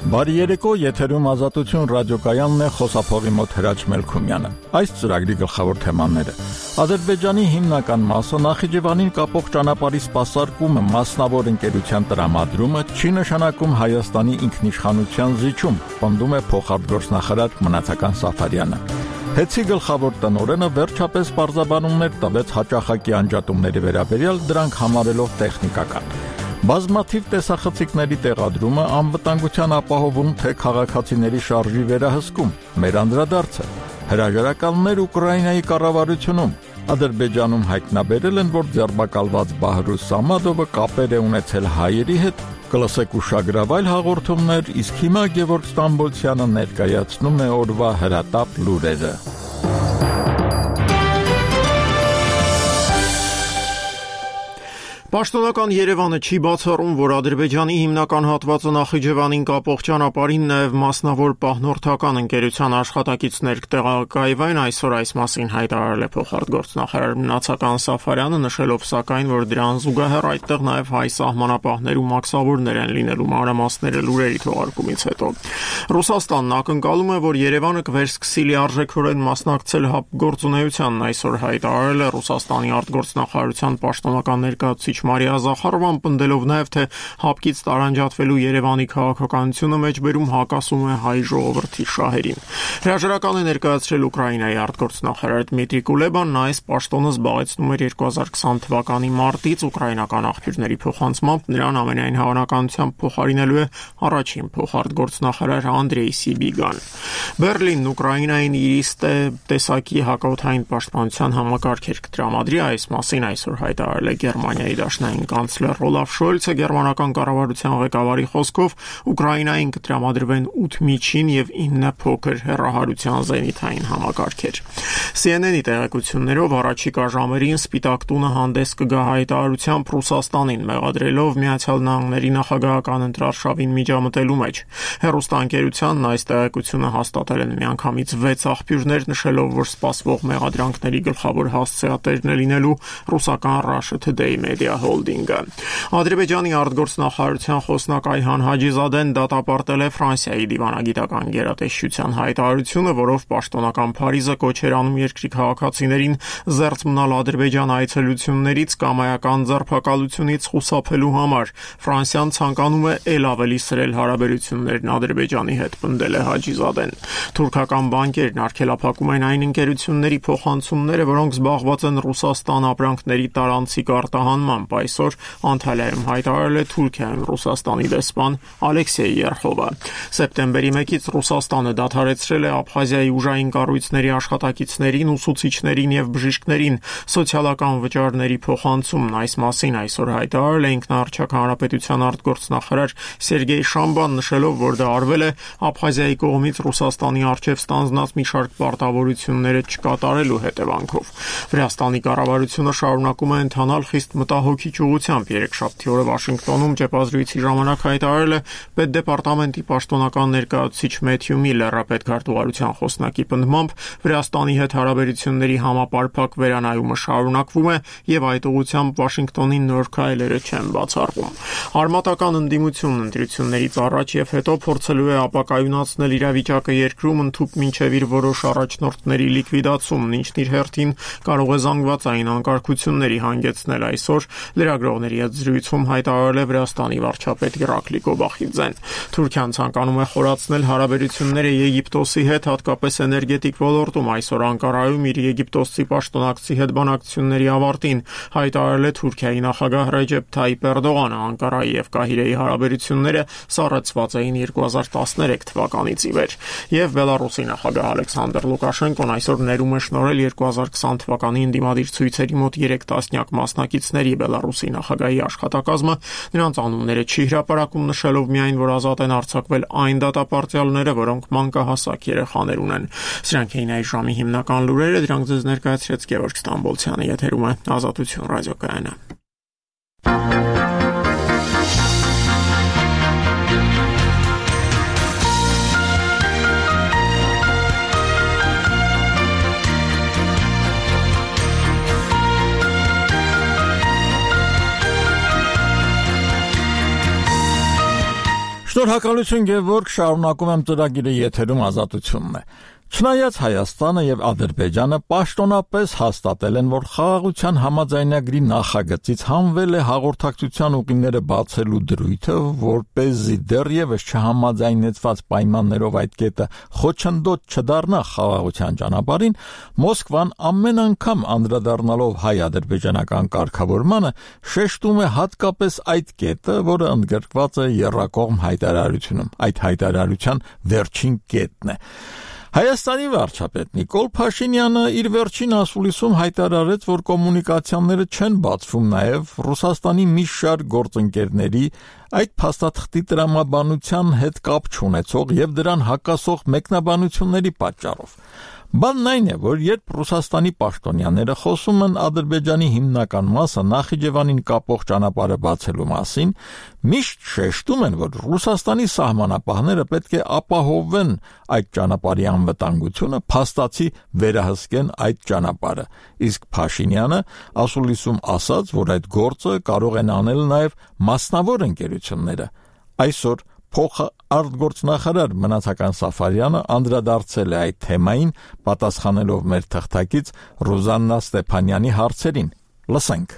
Բարի երեկո, եթերում Ազատություն ռադիոկայանն է, խոսափողի մոտ Հրաչ Մելքումյանը։ Այս ծրագրի գլխավոր թեմաները. Ադրբեջանի հիմնական մասը Նախիջևանին կապող ճանապարհի սպասարկումը, մասնավոր ընկերության տրամադրումը չի նշանակում Հայաստանի ինքնիշխանության զիջում, պնդում է փոխարտգործնախարար Մնացական Սաֆարյանը։ Հեցի գլխավոր տնօրենը վերջապես պարզաբանումներ տվեց հաճախակի անջատումների վերաբերյալ, դրանք համարելով տեխնիկական։ Բազմաթիվ տեսախցիկների տեղադրումը անվտանգության ապահովում, թե քաղաքացիների շարժի վերահսկում, մեր անդրադարձը։ Հրաժարականներ Ուկրաինայի կառավարությունում, Ադրբեջանում հայտնաբերել են, որ ձերբակալված Բահրուս Սամադովը կապեր է ունեցել հայերի հետ, կլսեք ուշագրավայր հաղորդումներ, իսկ հիմա Գևորգ Ստամբոլցյանը ներկայացնում է օրվա հրատապ լուրերը։ Պաշտոնական Երևանը չի բացառում, որ Ադրբեջանի հիմնական հատվածը Նախիջևանին կապող ճանապարհին նաև մասնավոր պահնորդական ընկերության աշխատակիցներ կտեղակայվեն, այսօր այս մասին հայտարարել է փոխարտգործնախարար Մնացական Սաֆարյանը, նշելով սակայն, որ դրան զուգահեռ այդտեղ նաև հայ սահմանապահներ ու մաքսավորներ են լինելու, մանրամասները լուրերի թողարկումից հետո։ Ռուսաստանն ակնկալում է, որ Երևանը կվերսկսի լիարժեքորեն մասնակցել ՀԱՊԿ-գործունեությանն, այսօր հայտարարել է Ռուսաստանի արտգործնախարարության պաշտոնական ներկայացուցիչ Մարիա Զախարովան, պնդելով նաև, թե ՀԱՊԿ-ից տարանջատվելու Երևանի քաղաքականությունը մեջբերում հակասում է հայ ժողովրդի շահերին։ Հրաժարական է ներկայացրել Ուկրաինայի արտգործնախարար Դմիտրի Կուլեբան, նա այս պաշտոնը զբաղեցնում էր 2020 թվականի մարտից, ուկրաինական աղբյուրների փոխանցմամբ նրան ամենայն հավանականությամբ փոխարինելու է առաջին փոխարտգործնախարար Անդրեյ Սիբիգան։ Բերլինն Ուկրաինային իր տեսակի հակաօդային պաշտպանության համակարգեր կտրամադրի, այս մասին այսօր հայտարարել է Գերմանիայի դաշնային կանցլեր Օլաֆ Շոլցը, գերմանական կառավարության ղեկավարի խոսքով Ուկրաինային կտրամադրվեն 8 միջին եւ 9 փոքր հեռահարության զենիթային համակարգեր։ CNN-ի տեղեկություններով առաջիկա ժամերին Սպիտակ տունը հանդես կգա հայտարարությամբ Ռուսաստանին, մեղադրելով Միացյալ Նահանգների նախագահական ընտրարշավին միջամտելու մեջ։ Հեռուստաընկերությանն այս տեղեկությունը հաստատել են միանգամից 6 աղբյուրներ, նշելով, որ սպասվող մեղադրանքների գլխավոր հասցեատերն է լինելու ռուսական Russia Today Media Holding-ը։ Ադրբեջանի արտգործնախարարության խոսնակ Այհան Հաջիզադեն դատապարտել է Ֆրանսիայի դիվանագիտական գերատեսչության հայտարարությունը, որով պաշտոնական Փարիզը կոչ էր անում երկրի քաղաքացիներին զերծ մնալ Ադրբեջան այցելություններից կամ այական ձերբակալությունից խուսափելու համար։ Ֆրանսիան ցանկանում է ել ավելի սրել հարաբերություններն Ադրբեջանի հետ, պնդել է Հաջիզադեն։ Թուրքական բանկերն արգելափակում են այն ընկերությունների փոխանցումները, որոնք զբաղված են Ռուսաստան ապրանքների տարանցիկ արտահանմամբ, այսօր Անտալիայում հայտարարել է Թուրքիայում Ռուսաստանի դեսպան Ալեքսեյ Երխովը։ Սեպտեմբերի 1-ից Ռուսաստանը դադարեցրել է Աբխազիայի ուժային կառույցների աշխատակիցներին, ուսուցիչներին եւ բժիշկներին սոցիալական վճարների փոխանցումն, այս մասին այսօր հայտարարել է ինքնաառչակ հանրապետության արտգործնախարար Սերգեյ Շամբան, նշելով, որ դա արվել է Աբխազիայի կողմից Ռուսաստանի առջև ստանձնած մի շարք պարտավորությունները չկատարելու հետևանքով։ Վրաստանի կառավարությունը շարունակում է ընթանալ խիստ մտահոգիչ ուղղությամբ։ Երեքշաբթի օրը Վաշինգտոնում ճեպազրույցի ժամանակ հայտարարել է Պետդեպարտամենտի պաշտոնական ներկայացուցիչ Մեթյու Միլլերը, պետքարտուղարության խոսնակի պնդմամբ Վրաստանի հետ հարաբերությունների համապարփակ վերանայումը շարունակվում է եւ այդ ուղղությամբ Վաշինգտոնի նոր քայլերը չեն բացառվում։ Արմատական ընդդիմությունն ընտրություններից առաջ եւ հետո փորձելու է ապակայունացնել իրավիճակը երկրում, ընդཐུպ մինչեւ իր որոշ առաջնորդների լիկվիդացումն, ինչն իր հերթին կարող է զանգվածային անկարգությունների հանգեցնել, այսօր լրագրողների հետ զրույցում հայտարարել է Վրաստանի վարչապետ Իռակլի Կոբախիձեն։ Թուրքիան ցանկանում է խորացնել հարաբերությունները Եգիպտոսի հետ, հատկապես էներգետիկ ոլորտում, այսօր Անկարայում իր եգիպտոսցի պաշտոնակցի հետ բանակցությունների ավարտին հայտարարել է Թուրքիայի նախագահ Ռեջեփ Թայիփ Էրդողանը։ Անկարայի եւ Կահիրեի հարաբերությունները սառեցված էին 2013 թվականից ի վեր։ Եվ Բելարուսի նախագահ Ալեքսանդր Լուկաշենկոն այսօր ներում է շնորհել 2020 թվականի ընդդիմադիր ցույցերի մոտ 3 տասնյակ մասնակիցների Բելարուսի նախագահի աշխատակազմը նրանց անունները չի հրապարակում, նշելով միայն, որ ազատ են արձակվել այն դատապարտյալները, որոնք մանկահասակ երեխաներ ունեն։ Սրանք էին այս ժամի հիմնական լուրերը, դրանք ձեզ ներկայացրեց Գևորգ Ստամբոլցյանը, եթերում է Ազատություն ռադիոկայանը։ Շնորհակալություն Գևորգ, շարունակում եմ ծրագիրը եթերում Ազատությունն է։ Չնայած Հայաստանը եւ Ադրբեջանը պաշտոնապես հաստատել են, որ խաղաղության համաձայնագրի նախագծից հանվել է հաղորդակցության ուղիները բացելու դրույթը, որպեսզի դեռևս չհամաձայնեցված պայմաններով այդ կետը խոչընդոտ չդառնա խաղաղության ճանապարհին, Մոսկվան ամեն անգամ անդրադառնալով հայ-ադրբեջանական կարգավորմանը շեշտում է հատկապես այդ կետը, որը ընդգրկված է եռակողմ հայտարարությունում։ Այդ հայտարարության վերջին կետն է։ Հայաստանի վարչապետ Նիկոլ Փաշինյանը իր վերջին ասուլիսում հայտարարեց, որ կոմունիկացիաները չեն բացվում նաև Ռուսաստանի մի շարք գործընկերների այդ փաստաթղթի տրամաբանության հետ կապ չունեցող եւ դրան հակասող մեկնաբանությունների պատճառով։ Բանն այն է, որ երբ Ռուսաստանի պաշտոնյաները խոսում են Ադրբեջանի հիմնական մասը Նախիջևանին կապող ճանապարհը բացելու մասին, միշտ շեշտում են, որ Ռուսաստանի սահմանապահները պետք է ապահովեն այդ ճանապարհի անվտանգությունը, փաստացի վերահսկեն այդ ճանապարհը։ Իսկ Փաշինյանը ասուլիսում ասաց, որ այդ գործը կարող են անել նաև մասնավոր ընկերությունները։ Այսօր փոխարտգործնախարար Մնացական Սաֆարյանը անդրադարձել է այդ թեմային, պատասխանելով մեր թղթակից Ռուզաննա Ստեփանյանի հարցերին։ Լսենք։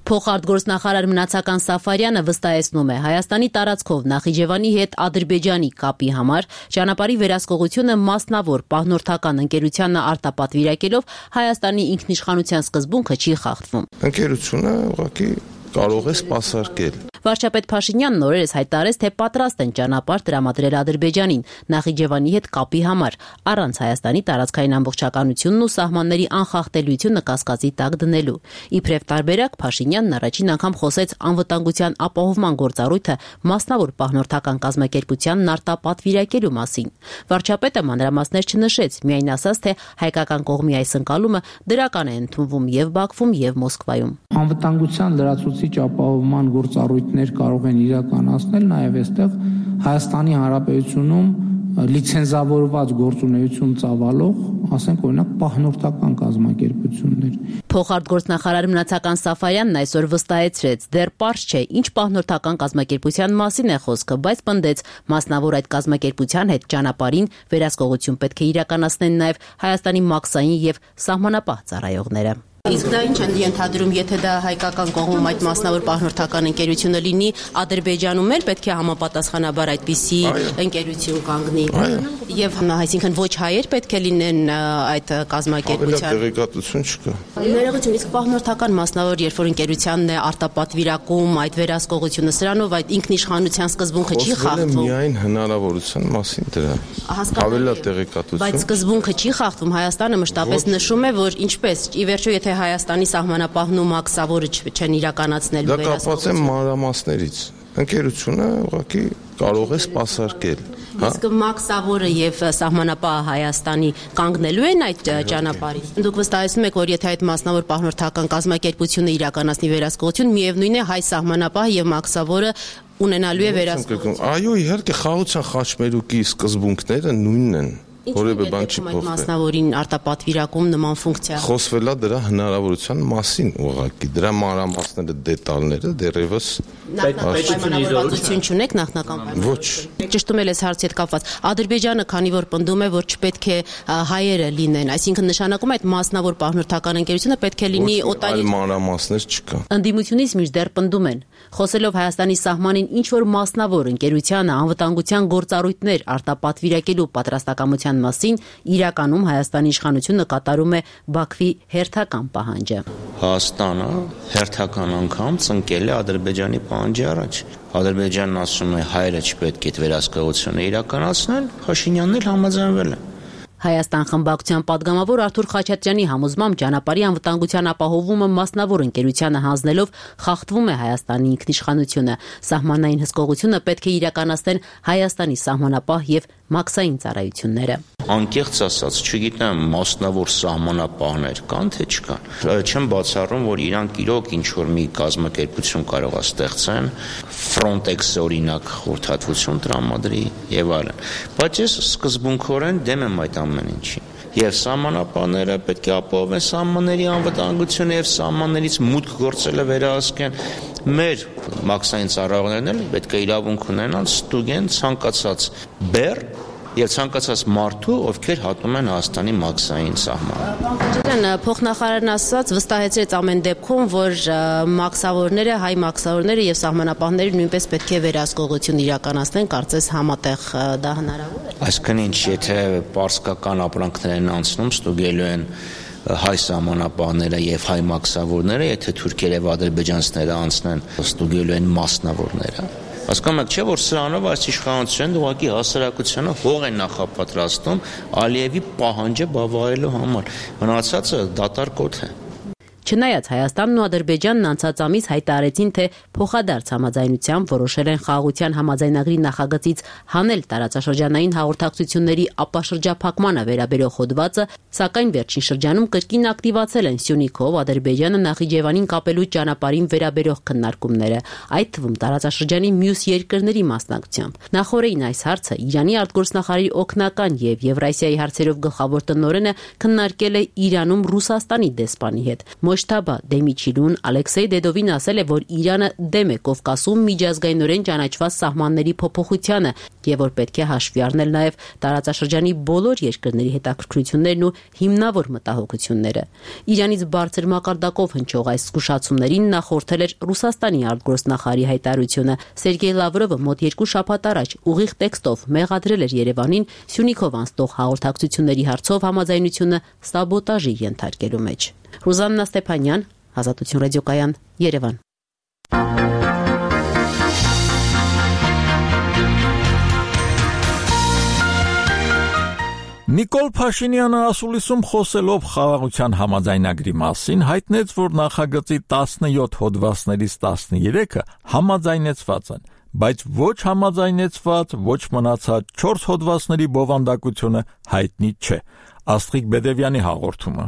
Փոխարտգործնախարար Մնացական Սաֆարյանը վստահեցնում է, Հայաստանի տարածքով Նախիջևանի հետ Ադրբեջանի կապի համար ճանապարհի վերահսկողությունը մասնավոր պահնորդական ընկերությանը արտապատվիրակելով Հայաստանի ինքնիշխանության սկզբունքը չի խախտվում։ Ընկերությունը ուղղակի կարող է սպասարկել։ Վարչապետ Փաշինյանն օրերս հայտարարեց, թե պատրաստ են ճանապարհ տրամադրել Ադրբեջանին Նախիջևանի հետ կապի համար, առանց Հայաստանի տարածքային ամբողջականությունն ու սահմանների անխախտելիությունը կասկածի տակ դնելու։ Իբրև տարբերակ Փաշինյանն առաջին անգամ խոսեց անվտանգության ապահովման գործառույթը մասնավոր պահնորդական կազմակերպությանն արտապատվիրակելու մասին։ Վարչապետը մանրամասներ չնշեց, միայն ասաց, թե հայկական կողմի այս ընկալումը դրական է ընդունվում եւ Բաքվում եւ Մոսկվայում։ Անվտանգության լրացուցիչ ապահովման գործառույթներ կարող են իրականացնել նաև այստեղ Հայաստանի Հանրապետությունում լիցենզավորված գործունեություն ծավալող, ասենք օրինակ պահնորդական կազմակերպություններ։ Փոխարտգործնախարար Մնացական Սաֆարյանն այսօր վստահեցրեց, դեռ պարզ չէ, ինչ պահնորդական կազմակերպության մասին է խոսքը, բայց պնդեց, մասնավոր այդ կազմակերպության հետ ճանապարհին վերահսկողություն պետք է իրականացնեն նաև Հայաստանի մաքսային եւ սահմանապահ ծառայողները։ Իսկ դա ինչ են ենթադրում, եթե դա հայկական կողմում այդ մասնավոր պահնորդական ընկերությունը լինի, Ադրբեջանում էլ պետք է համապատասխանաբար այդպիսի ընկերություն կանգնի։ Եվ այսինքն ոչ հայեր պետք է լինեն այդ կազմակերպության։ Տեղեկատվություն չկա։ Ներողություն, իսկ պահնորդական մասնավոր երբ որ ընկերությանն է արտապատվիրակում այդ վերահսկողությունը, սրանով այդ ինքնիշխանության սկզբունքը չի խախտվում։ Միայն հնարավորության մասին դրա։ Ավելի տեղեկատվություն։ Բայց սկզբունքը չի խախտվում, Հայաստանը մշտապես նշում է, որ ինչպես ի վերջո եթե Հայաստանի սահմանապահն ու մաքսավորը չեն իրականացնելու վերահսկողությունը։ Դա կապված է մանրամասներից։ Ընկերությունը ուղղակի կարող է սպասարկել։ Իսկ մաքսավորը եւ սահմանապահը Հայաստանի կանգնելու են այդ ճանապարհին։ Դուք վստահեցնում եք, որ եթե այդ մասնավոր պահնորդական կազմակերպությունը իրականացնի վերահսկողություն, միևնույն է հայ սահմանապահը եւ մաքսավորը ունենալու է վերահսկողություն։ Այո, իհարկե խաղաղության խաչմերուկի սկզբունքները նույնն են։ Որևէ բան չի փոխվել։ Մասնավորին արտապատվիրակում նման ֆունկցիա։ Խոսվելա դրա հնարավորության մասին ուղղակի։ Դրա մանրամասները, դետալները դեռևս պայմանավորվածություն չունեք նախնական պայմաններ։ Ոչ։ Ճշտում ել ես հարցի հետ կապված։ Ադրբեջանը, քանի որ պնդում է, որ չպետք է հայերը լինեն, այսինքն նշանակում է այդ մասնավոր պահնորդական ընկերությունը պետք է լինի օտարի։ Այլ մանրամասներ չկա։ Ընդդիմությունից մինչդեռ պնդում են, խոսելով Հայաստանի սահմանին ինչ որ մասնավոր ընկերությանը անվտանգության գործառույթներ արտապատվիրակելու պատրաստակամության մասին, իրականում Հայաստանի իշխանությունը կատարում է Բաքվի հերթական պահանջը։ Հայաստանը հերթական անգամ ծնկել է Ադրբեջանի պահանջի առաջ։ Ադրբեջանն ասում է հայերը չպետք է այդ վերահսկողությունը իրականացնեն, Փաշինյանն էլ համաձայնվել է։ Հայաստան խմբակցության падգամավոր Արթուր Խաչատրյանի համոզմամբ ճանապարհի անվտանգության ապահովումը մասնավոր ընկերությանը հանձնելով խախտվում է Հայաստանի ինքնիշխանությունը։ Սահմանային հսկողությունը պետք է իրականացնեն Հայաստանի սահմանապահ եւ մաքսային ծառայությունները։ Անկեղծ ասած, չգիտեմ, մասնավոր սահմանապահներ կան թե չկան։ Չեմ բացառում, որ իրանք իրոք ինչ որ մի կազմակերպություն կարող է ստեղծեն, Frontex-ը օրինակ խորհրդատվություն տրամադրի եւ այլն։ Բայց ես սկզբունքորեն դեմ եմ այդ ամեն ինչին։ Եվ սահմանապահները պետք է ապահովեն սահմանների անվտանգությունը եւ սահմաններից մուտք գործելը վերահսկեն։ մեր մաքսային ծառայողներն էլ պետք է իրավունք ունենան ստուգեն ցանկացած բեռ եւ ցանկացած մարդու, ովքեր հատում են Հայաստանի մաքսային սահմանը։ Փոխնախարարն ասաց, վստահեցրեց ամեն դեպքում, որ մաքսավորները, հայ մաքսավորները եւ սահմանապահները նույնպես պետք է վերահսկողություն իրականացնեն, կարծես համատեղ դա հնարավոր է։ Այսինքն ինչ, եթե պարսկական ապրանքներ են անցնում, ստուգելու են հայ սահմանապահները եւ հայ մաքսավորները, եթե թուրքեր եւ ադրբեջանցիները անցնեն, ստուգելու են մասնավորները։ Հասկանում եք, չէ՞ որ սրանով այս իշխանությունն ուղղակի հասարակությանը հող են նախապատրաստում Ալիևի պահանջը բավարարելու համար։ Մնացածը դատարկոտ է։ Չնայած Հայաստանն ու Ադրբեջանն անցած ամիս հայտարարեցին, թե փոխադարձ համաձայնությամբ որոշել են խաղաղության համաձայնագրի նախագծից հանել տարածաշրջանային հաղորդակցությունների ապաշրջափակմանը վերաբերող հոդվածը, սակայն վերջին շրջանում կրկին ակտիվացել են Սյունիքով Ադրբեջանը Նախիջևանին կապելու ճանապարհին վերաբերող քննարկումները, այդ թվում տարածաշրջանի մյուս երկրների մասնակցությամբ։ Նախորդին այս հարցը Իրանի արտգործնախարարի օգնական եւ Եվրասիայի հարցերով գլխավոր տնօրենը քննարկել է Իրանում Ռուսաստանի դեսպանի հետ։ Մոջթաբա Դեմիչիլուն Ալեքսեյ Դեդովին ասել է, որ Իրանը դեմ է Կովկասում միջազգայինորեն ճանաչված սահմանների փոփոխությանը եւ որ պետք է հաշվի առնել նաեւ տարածաշրջանի բոլոր երկրների հետաքրքրություններն ու հիմնավոր մտահոգությունները։ Իրանից բարձր մակարդակով հնչող այս զգուշացումներին նախորդել էր Ռուսաստանի արտգործնախարարի հայտարարությունը։ Սերգեյ Լավրովը մոտ 2 շաբաթ առաջ ուղիղ տեքստով մեղադրել էր Երևանին Սյունիքով անցնող հաղորդակցությունների հարցով համաձայնությունը սաբոտաժի ենթարկելու մեջ։ Ռուզաննա Ստեփանյան, Ազատություն ռադիոկայան, Երևան։ Նիկոլ Փաշինյանը ասուլիսում խոսելով խաղաղության համաձայնագրի մասին հայտնեց, որ նախագծի 17 հոդվածներից 13-ը համաձայնեցված են, բայց ոչ համաձայնեցված, ոչ մնացած 4 հոդվածների բովանդակությունը հայտնի չէ։ Աստղիկ Բեդևյանի հաղորդումը։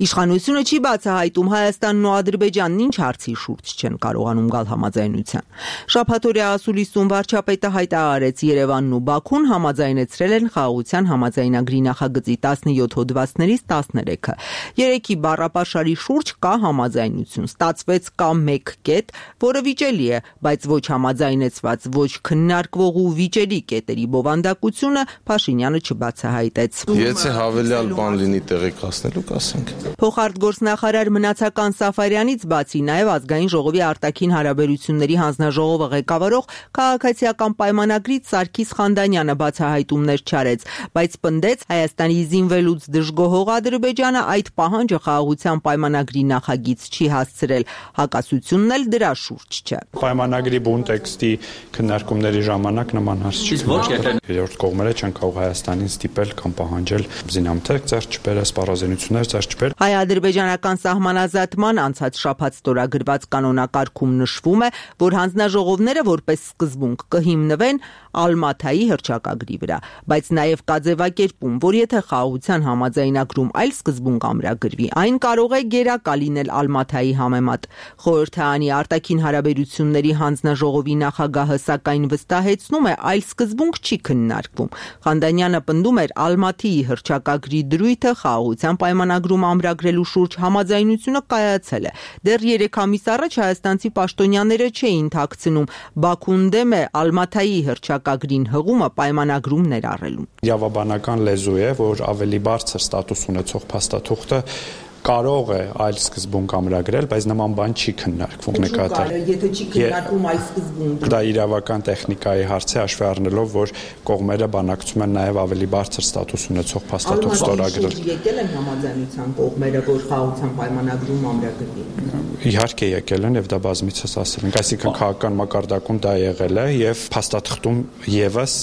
Իշխանությունը չի բացահայտում Հայաստանն ու Ադրբեջանն ինչ հարցի շուրջ չեն կարողանում գալ համաձայնության։ Շաբաթօրյա ասուլիսում վարչապետը հայտարարեց Երևանն ու Բաքուն համաձայնեցրել են խաղաղության համաձայնագրի նախագծի 17 հոդվածներից 13-ը։ Երեքի բառապաշարի շուրջ կա համաձայնություն, ստացվեց կա մեկ կետ, որը վիճելի է, բայց ոչ համաձայնեցված, ոչ քննարկվող ու վիճելի կետերի բովանդակությունը Փաշինյանը չբացահայտեց։ Եթե հավելյալ բան լինի տեղեկացնելու կասենք։ Փոխարտգործնախարար Մնացական Սաֆարյանից բացի նաև Ազգային ժողովի արտաքին հարաբերությունների հանձնաժողովը ղեկավարող քաղաքացիական պայմանագրից Սարգիս Խանդանյանը բացահայտումներ չարեց, բայց պնդեց Հայաստանի զինվելուց դժգոհող Ադրբեջանը այդ պահանջը խաղաղության պայմանագրի նախագիծ չի հասցրել, հակասությունն էլ դրա շուրջ չէ։ Պայմանագրի բուն տեքստի քննարկումների ժամանակ նման հարց չի եղել։ Երրորդ կողմերը չեն կարող Հայաստանին ստիպել կամ պահանջել զինամթերք ձեռք չբերել, սպառազինություններ ձեռք չբերել։ Հայ-ադրբեջանական սահմանազատման անցած շաբաթ ստորագրված կանոնակարգում նշվում է, որ հանձնաժողովները որպես սկզբունք կհիմնվեն Ալմաթայի հռչակագրի վրա, բայց նաև կա ձևակերպում, որ եթե խաղաղության համաձայնագրում այլ սկզբունք ամրագրվի, այն կարող է գերակա լինել Ալմաթայի համեմատ։ Խորհրդարանի արտաքին հարաբերությունների հանձնաժողովի նախագահը սակայն վստահեցնում է, այլ սկզբունք չի քննարկվում։ Խանդանյանը պնդում էր Ալմաթիի հռչակագրի դրույթը խաղաղության պայմանագրում ամրագրելու շուրջ համաձայնությունը կայացել է։ Դեռ 3 ամիս առաջ հայաստանցի պաշտոնյաները չէին թաքցնում Բաքուն դեմ է Ալմաթայի հռչակագրին հղումը պայմանագրում ներառելու։ Իրավաբանական լեզու է, որ ավելի բարձր ստատուս ունեցող փաստաթուղթը կարող է այլ սկզբունք ամրագրել, բայց նման բան չի քննարկվում նկատել։ Եթե չի քննարկվում այլ սկզբունք։ Դա իրավական տեխնիկայի հարց է, հաշվի առնելով, որ կողմերը բանակցում են նաև ավելի բարձր ստատուս ունեցող փաստաթուղթ ստորագրել։ Եկել են համաձայնության կողմերը, որ խաղաղության պայմանագրում ամրագրվի։ Իհարկե եկել են եւ դա բազմիցս ասել ենք, այսինքն քաղաքական մակարդակում դա եղել է եւ փաստաթղթում եւս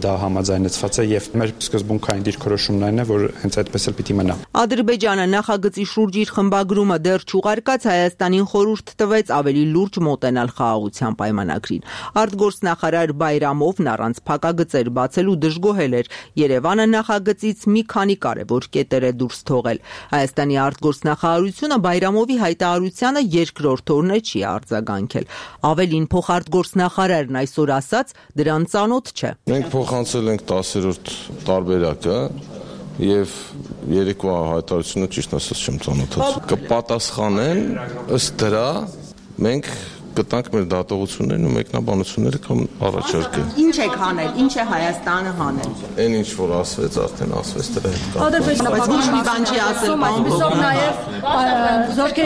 դա համաձայնեցված է եւ մեր սկզբունքային դիրքորոշումն այն է, որ հենց այդպես էլ պիտի մնա։ Ադրբեջանը նախագծի շուրջ իր խմբագրումը դեռ չուղարկած Հայաստանին խորհուրդ տվեց ավելի լուրջ մոտենալ խաղաղության պայմանագրին։ Արտգործնախարար Բայրամովն առանց փակագծեր բացելու դժգոհել էր։ Երևանը նախագծից մի քանի կարևոր կետեր է դուրս թողել։ Հայաստանի արտգործնախարարությունը Բայրամովի հայտարարությանը երկրորդ օրն է չի արձագանքել։ Ավելին փոխարտգործնախարարն այսօր ասաց, դրան ծանոթ չէ։ Մենք փոխանցել ենք 10-րդ տարբերակը եւ երեկվա հայտարարությունը ճիշտ ասած չեմ ծանոթացել։ Կպատասխանեն ըստ դրա մենք կտանք մեր դատողություններն ու մեկնաբանությունները կամ առաջարկել։ Ինչ եք հանել, ինչ է Հայաստանը հանել։ Այն ինչ որ ասվեց, արդեն ասվեց դրա հետ կապ։ Բայց ոչ մի բան չի ասել,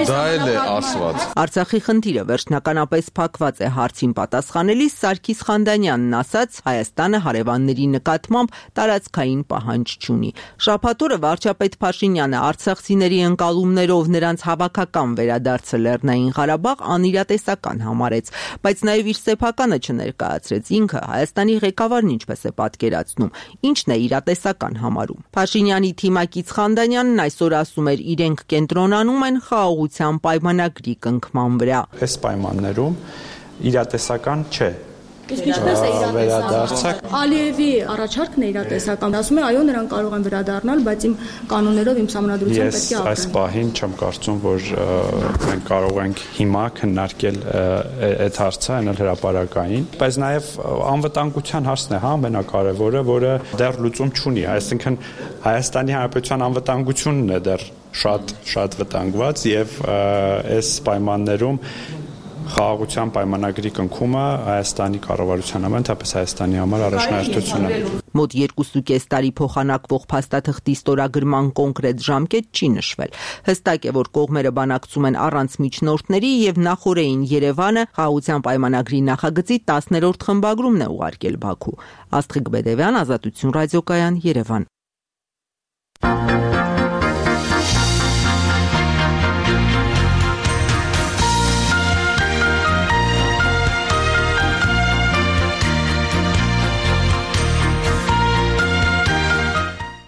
դա էլ է ասված։ Արցախի խնդիրը վերջնականապես փակված է հարցին պատասխանելիս Սարգիս Խանդանյանն ասաց, Հայաստանը հարևանների նկատմամբ տարածքային պահանջ չունի։ Շաբաթօրը վարչապետ Փաշինյանը արցախցիների ընկալումներով նրանց հավաքական վերադարձը Լեռնային Ղարաբաղ անիրատեսական համարեց, բայց նաև իր սեփականը չներկայացրեց։ Ինքը Հայաստանի ղեկավարն ինչպես է պատկերացնում, ինչն է իրատեսական համարում։ Փաշինյանի թիմակից Խանդանյանն այսօր ասում էր, իրենք կենտրոնանում են խաղաղության պայմանագրի կնքման վրա։ Այս պայմաններում իրատեսական չէ։ Իսկ ինչպես է իրատեսական։ Ալիևի առաջարկն է իրատեսական։ Ասում է, այո, նրանք կարող են վերադառնալ, բայց իմ կանոններով, իմ սահմանադրությամբ պետք է ապրեն։ Այս պահին չեմ կարծում, որ մենք կարող ենք հիմա քննարկել այդ հարցը, այնել հրապարակային, բայց նաև անվտանգության հարցն է, ամենակարևորը, որը դեռ լուծում չունի, այսինքն Հայաստանի Հանրապետության անվտանգությունն է դեռ շատ վտանգված եւ այս պայմաններում խաղաղության պայմանագրի կնքումը Հայաստանի կառավարության համար, ընդհանրապես Հայաստանի համար առաջնահերթություն է։ Մոտ 2.5 տարի փոխանակվող փաստաթղթի ստորագրման կոնկրետ ժամկետ չի նշվել։ Հստակ է, որ կողմերը բանակցում են առանց միջնորդների եւ նախորդին Երևանը խաղաղության պայմանագրի նախագծի 10-րդ խմբագրումն է ուղարկել Բաքու։ Աստղիկ Բեդևյան, Ազատություն ռադիոկայան, Երևան։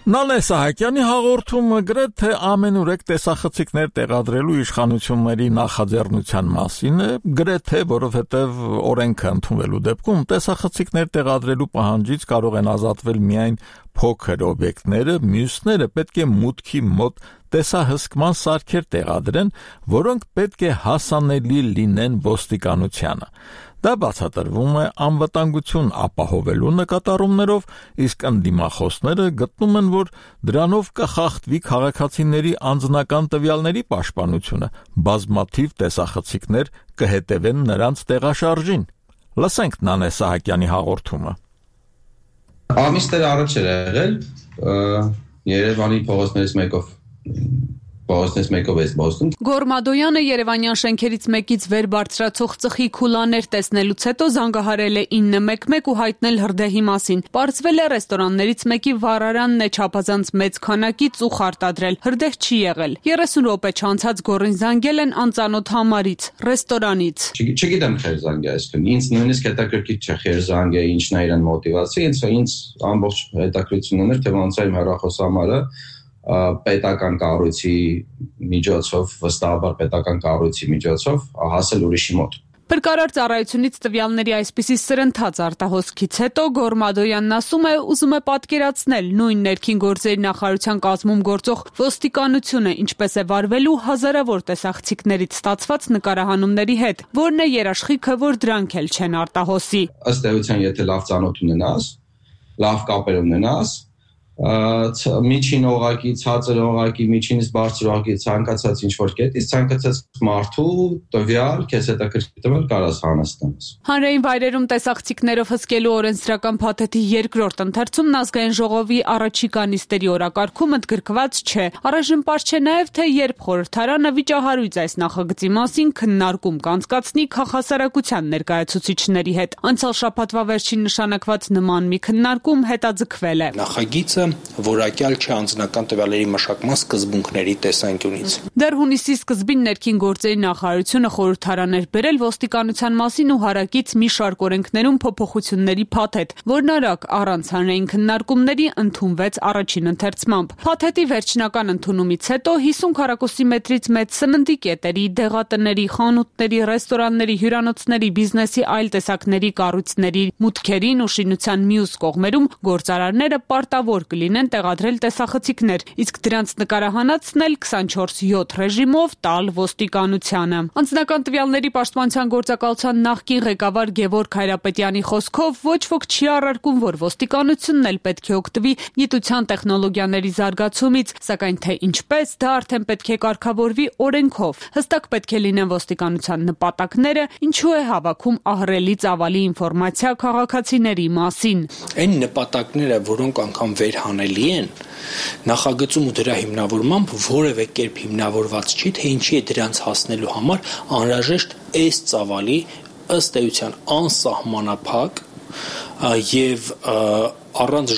Նանե Սահակյանի հաղորդումը գրեթե ամենուրեք տեսախցիկներ տեղադրելու իշխանությունների նախաձեռնության մասին է, գրեթե, որովհետև օրենքը ընդունվելու դեպքում տեսախցիկներ տեղադրելու պահանջից կարող են ազատվել միայն փոքր օբյեկտները, մյուսները պետք է մուտքի մոտ տեսահսկման սարքեր տեղադրեն, որոնք պետք է հասանելի լինեն ոստիկանությանը։ Դա բացատրվում է անվտանգություն ապահովելու նկատառումներով, իսկ ընդդիմախոսները գտնում են, որ դրանով կխախտվի քաղաքացիների անձնական տվյալների պաշտպանությունը, բազմաթիվ տեսախցիկներ կհետևեն նրանց տեղաշարժին։ Լսենք Նանե Սահակյանի հաղորդումը։ Ամիսներ առաջ էր եղել Երևանի փողոցներից մեկով Գորմադոյանը Երևանյան շենքերից մեկից վեր բարձրացող ծխի քուլաներ տեսնելուց հետո զանգահարել է 911 ու հայտնել հրդեհի մասին։ Պարզվել է ռեստորաններից մեկի վառարանն է չափազանց մեծ քանակի ծուխ արտադրել։ Հրդեհ չի եղել։ 30 րոպե չանցած գորին զանգել են անծանոթ համարից, ռեստորանից։ Չգիտեմ խեր զանգը, այսինքն ինձ նույնիսկ հետաքրքիր չէ խեր զանգը, ինչն է իրեն մոտիվացիա, ինձ ամբողջ հետաքրքրություն ուներ, թե ոնց է իմ հեռախոսամարը պետական կառույցի միջոցով, վստահաբար պետական կառույցի միջոցով հասել ուրիշի մոտ։ Փրկարար ծառայությունից տվյալների այսպիսի սրընթաց արտահոսքից հետո Գորմադոյանն ասում է, ուզում է պատկերացնել նույն ներքին գործերի նախարարության կազմում գործող ոստիկանությունը ինչպես է վարվելու հազարավոր տեսախցիկներից ստացված նկարահանումների հետ, որն է երաշխիքը, որ դրանք էլ չեն արտահոսի։ Ըստ էության, եթե լավ ծանոթ ունենաս, լավ կապեր ունենաս, միջին օղակի, ցածր օղակի, միջինից բարձր օղակի ցանկացած ինչ-որ կետից, ցանկացած մարդու տվյալ քեզ հետաքրքրել կարաս հանստանաս։ Հանրային վայրերում տեսախցիկներով հսկելու օրենսդրական փաթեթի երկրորդ ընթերցումն ազգային ժողովի առաջիկա նիստերի օրակարգում ընդգրկված չէ։ Առայժմ պարզ չէ նաև, թե երբ խորհրդարանը վիճահարույց այս նախագծի մասին քննարկում կանցկացնի քաղաքասարակության ներկայացուցիչների հետ։ Անցյալ շաբաթվա վերջին նշանակված նման մի քննարկում հետաձգվել է։ Նախագիծը որակյալ չէ անձնական տվյալների մշակման սկզբունքների տեսանկյունից։ Դեռ հունիսի սկզբին ներքին գործերի նախարարությունը խորհրդարան էր բերել ոստիկանության մասին ու հարակից մի շարք օրենքներում փոփոխությունների փաթեթ, որն արագ առանց հանրային քննարկումների ընդունվեց առաջին ընթերցմամբ։ Փաթեթի վերջնական ընդունումից հետո 50 քառակուսի մետրից մեծ սննդի կետերի, դեղատների, խանութների, ռեստորանների, հյուրանոցների, բիզնեսի այլ տեսակների կառույցների մուտքերին ու շինության մյուս կողմերում գործարարները պարտավոր կլինեն տեղադրել տեսախցիկներ, իսկ դրանց նկարահանածն էլ 24/7 ռեժիմով տալ ոստիկանությանը։ Անձնական տվյալների պաշտպանության գործակալության նախկին ղեկավար Գևորգ Հայրապետյանի խոսքով ոչ ոք չի առարկում, որ ոստիկանությունն էլ պետք է օգտվի գիտության տեխնոլոգիաների զարգացումից, սակայն թե ինչպես դա արդեն պետք է կարգավորվի օրենքով։ Հստակ պետք է լինեն ոստիկանության նպատակները, ինչու է հավաքում ահռելի ծավալի ինֆորմացիա քաղաքացիների մասին։ Այն նպատակները, որոնք անգամ վերհանելի են, նախագծում ու դրա հիմնավորմամբ որևէ կերպ հիմնավորված չի, թե ինչի է դրանց հասնելու համար անհրաժեշտ այս ծավալի ըստ էության անսահմանափակ եւ առանց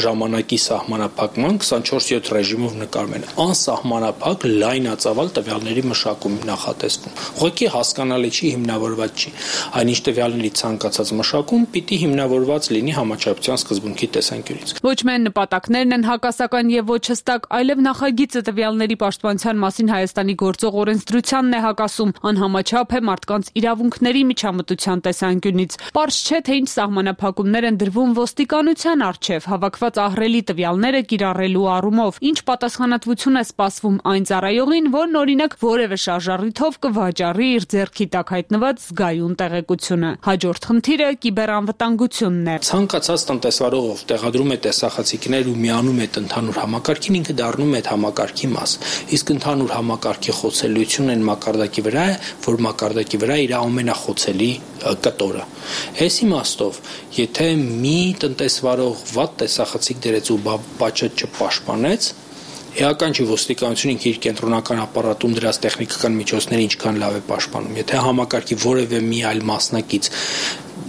ժամանակի սահմանափակման 24/7 ռեժիմով նկարում են անսահմանափակ լայնածավալ տվյալների մշակում նախատեսվում։ Ուղղակի հասկանալի չի, հիմնավորված չի։ Այնինչ տվյալների ցանկացած մշակում պիտի հիմնավորված լինի համաչափության սկզբունքի տեսանկյունից։ Ոչ միայն նպատակներն են հակասական եւ ոչ հստակ, այլև նախագիծը տվյալների պաշտպանության մասին Հայաստանի գործող օրենսդրությանն է հակասում, անհամաչափ է մարդկանց իրավունքների միջամտության տեսանկյունից։ Պարզ չէ, թե ինչ սահմանափակումներ են դրվում ոստիկանության առջև հավաքված ահռելի տվյալները կիրառելու առումով, ինչ պատասխանատվություն է սպասվում այն ծառայողին, որն օրինակ որևէ շարժառիթով կվաճառի իր ձեռքի տակ հայտնված զգայուն տեղեկությունը։ Հաջորդ խնդիրը կիբերանվտանգությունն է։ Ցանկացած տնտեսվարող, ով տեղադրում է տեսախցիկներ ու միանում է ընդհանուր համակարգին, ինքը դառնում է այդ համակարգի մաս։ Իսկ ընդհանուր համակարգի խոցելիությունն այն մակարդակի վրա է, որ մակարդակի վրա իր ամենախոցելի կտորը։ Այս իմաստով, եթե մի տնտեսվարող վատ տեսախցիկ դրեց ու բաճետ չպաշտպանեց, էական չի ոստիկանությունը ինքը իր կենտրոնական ապարատում դրած տեխնիկական միջոցները ինչքան լավ է պաշտպանում։ Եթե համակարգի որևէ մի այլ մասնակից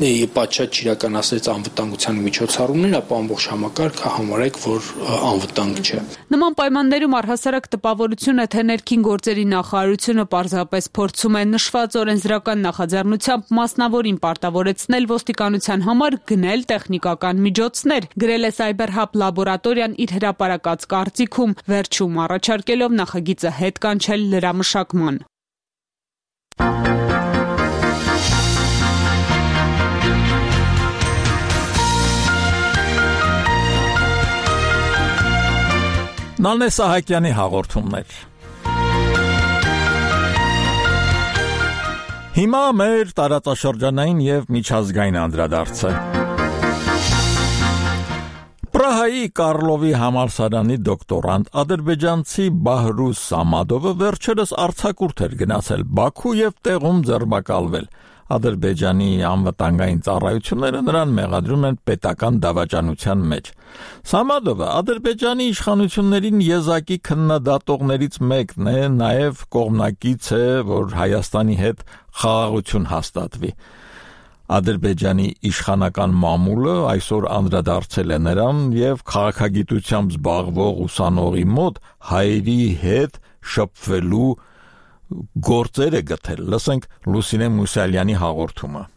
պատշաճ չիրականացրեց անվտանգության միջոցառումներ, ապա ամբողջ համակարգը համարեք, որ անվտանգ չէ։ Նման պայմաններում առհասարակ տպավորություն է, թե ներքին գործերի նախարարությունը պարզապես փորձում է նշված օրենսդրական նախաձեռնությամբ մասնավորին պարտավորեցնել ոստիկանության համար գնել տեխնիկական միջոցներ, գրել է Cyber-Hub լաբորատորիան իր հրապարակած կարծիքում, վերջում առաջարկելով նախագիծը հետ կանչել լրամշակման։ Նալնե Սահակյանի հաղորդումներ։ Հիմա մեր տարածաշրջանային եւ միջազգային անդրադարձը։ Պրահայի Կարլովի համալսարանի դոկտորանտ ադրբեջանցի Բահրուս Սամադովը վերջերս արձակուրդ էր գնացել Բաքու եւ տեղում ձերբակալվել։ Ադրբեջանի անվտանգային ծառայությունները նրան մեղադրում են պետական դավաճանության մեջ։ Սամադովը Ադրբեջանի իշխանություններին եզակի քննադատողներից մեկն է, նաև կողմնակից է, որ Հայաստանի հետ խաղաղություն հաստատվի։ Ադրբեջանի իշխանական մամուլը այսօր անդրադարձել է նրան եւ քաղաքագիտությամբ զբաղվող ուսանողի մոտ հայերի հետ շփվելու գործեր է գտել։ Լսենք Լուսինե Մուսալյանի հաղորդումը։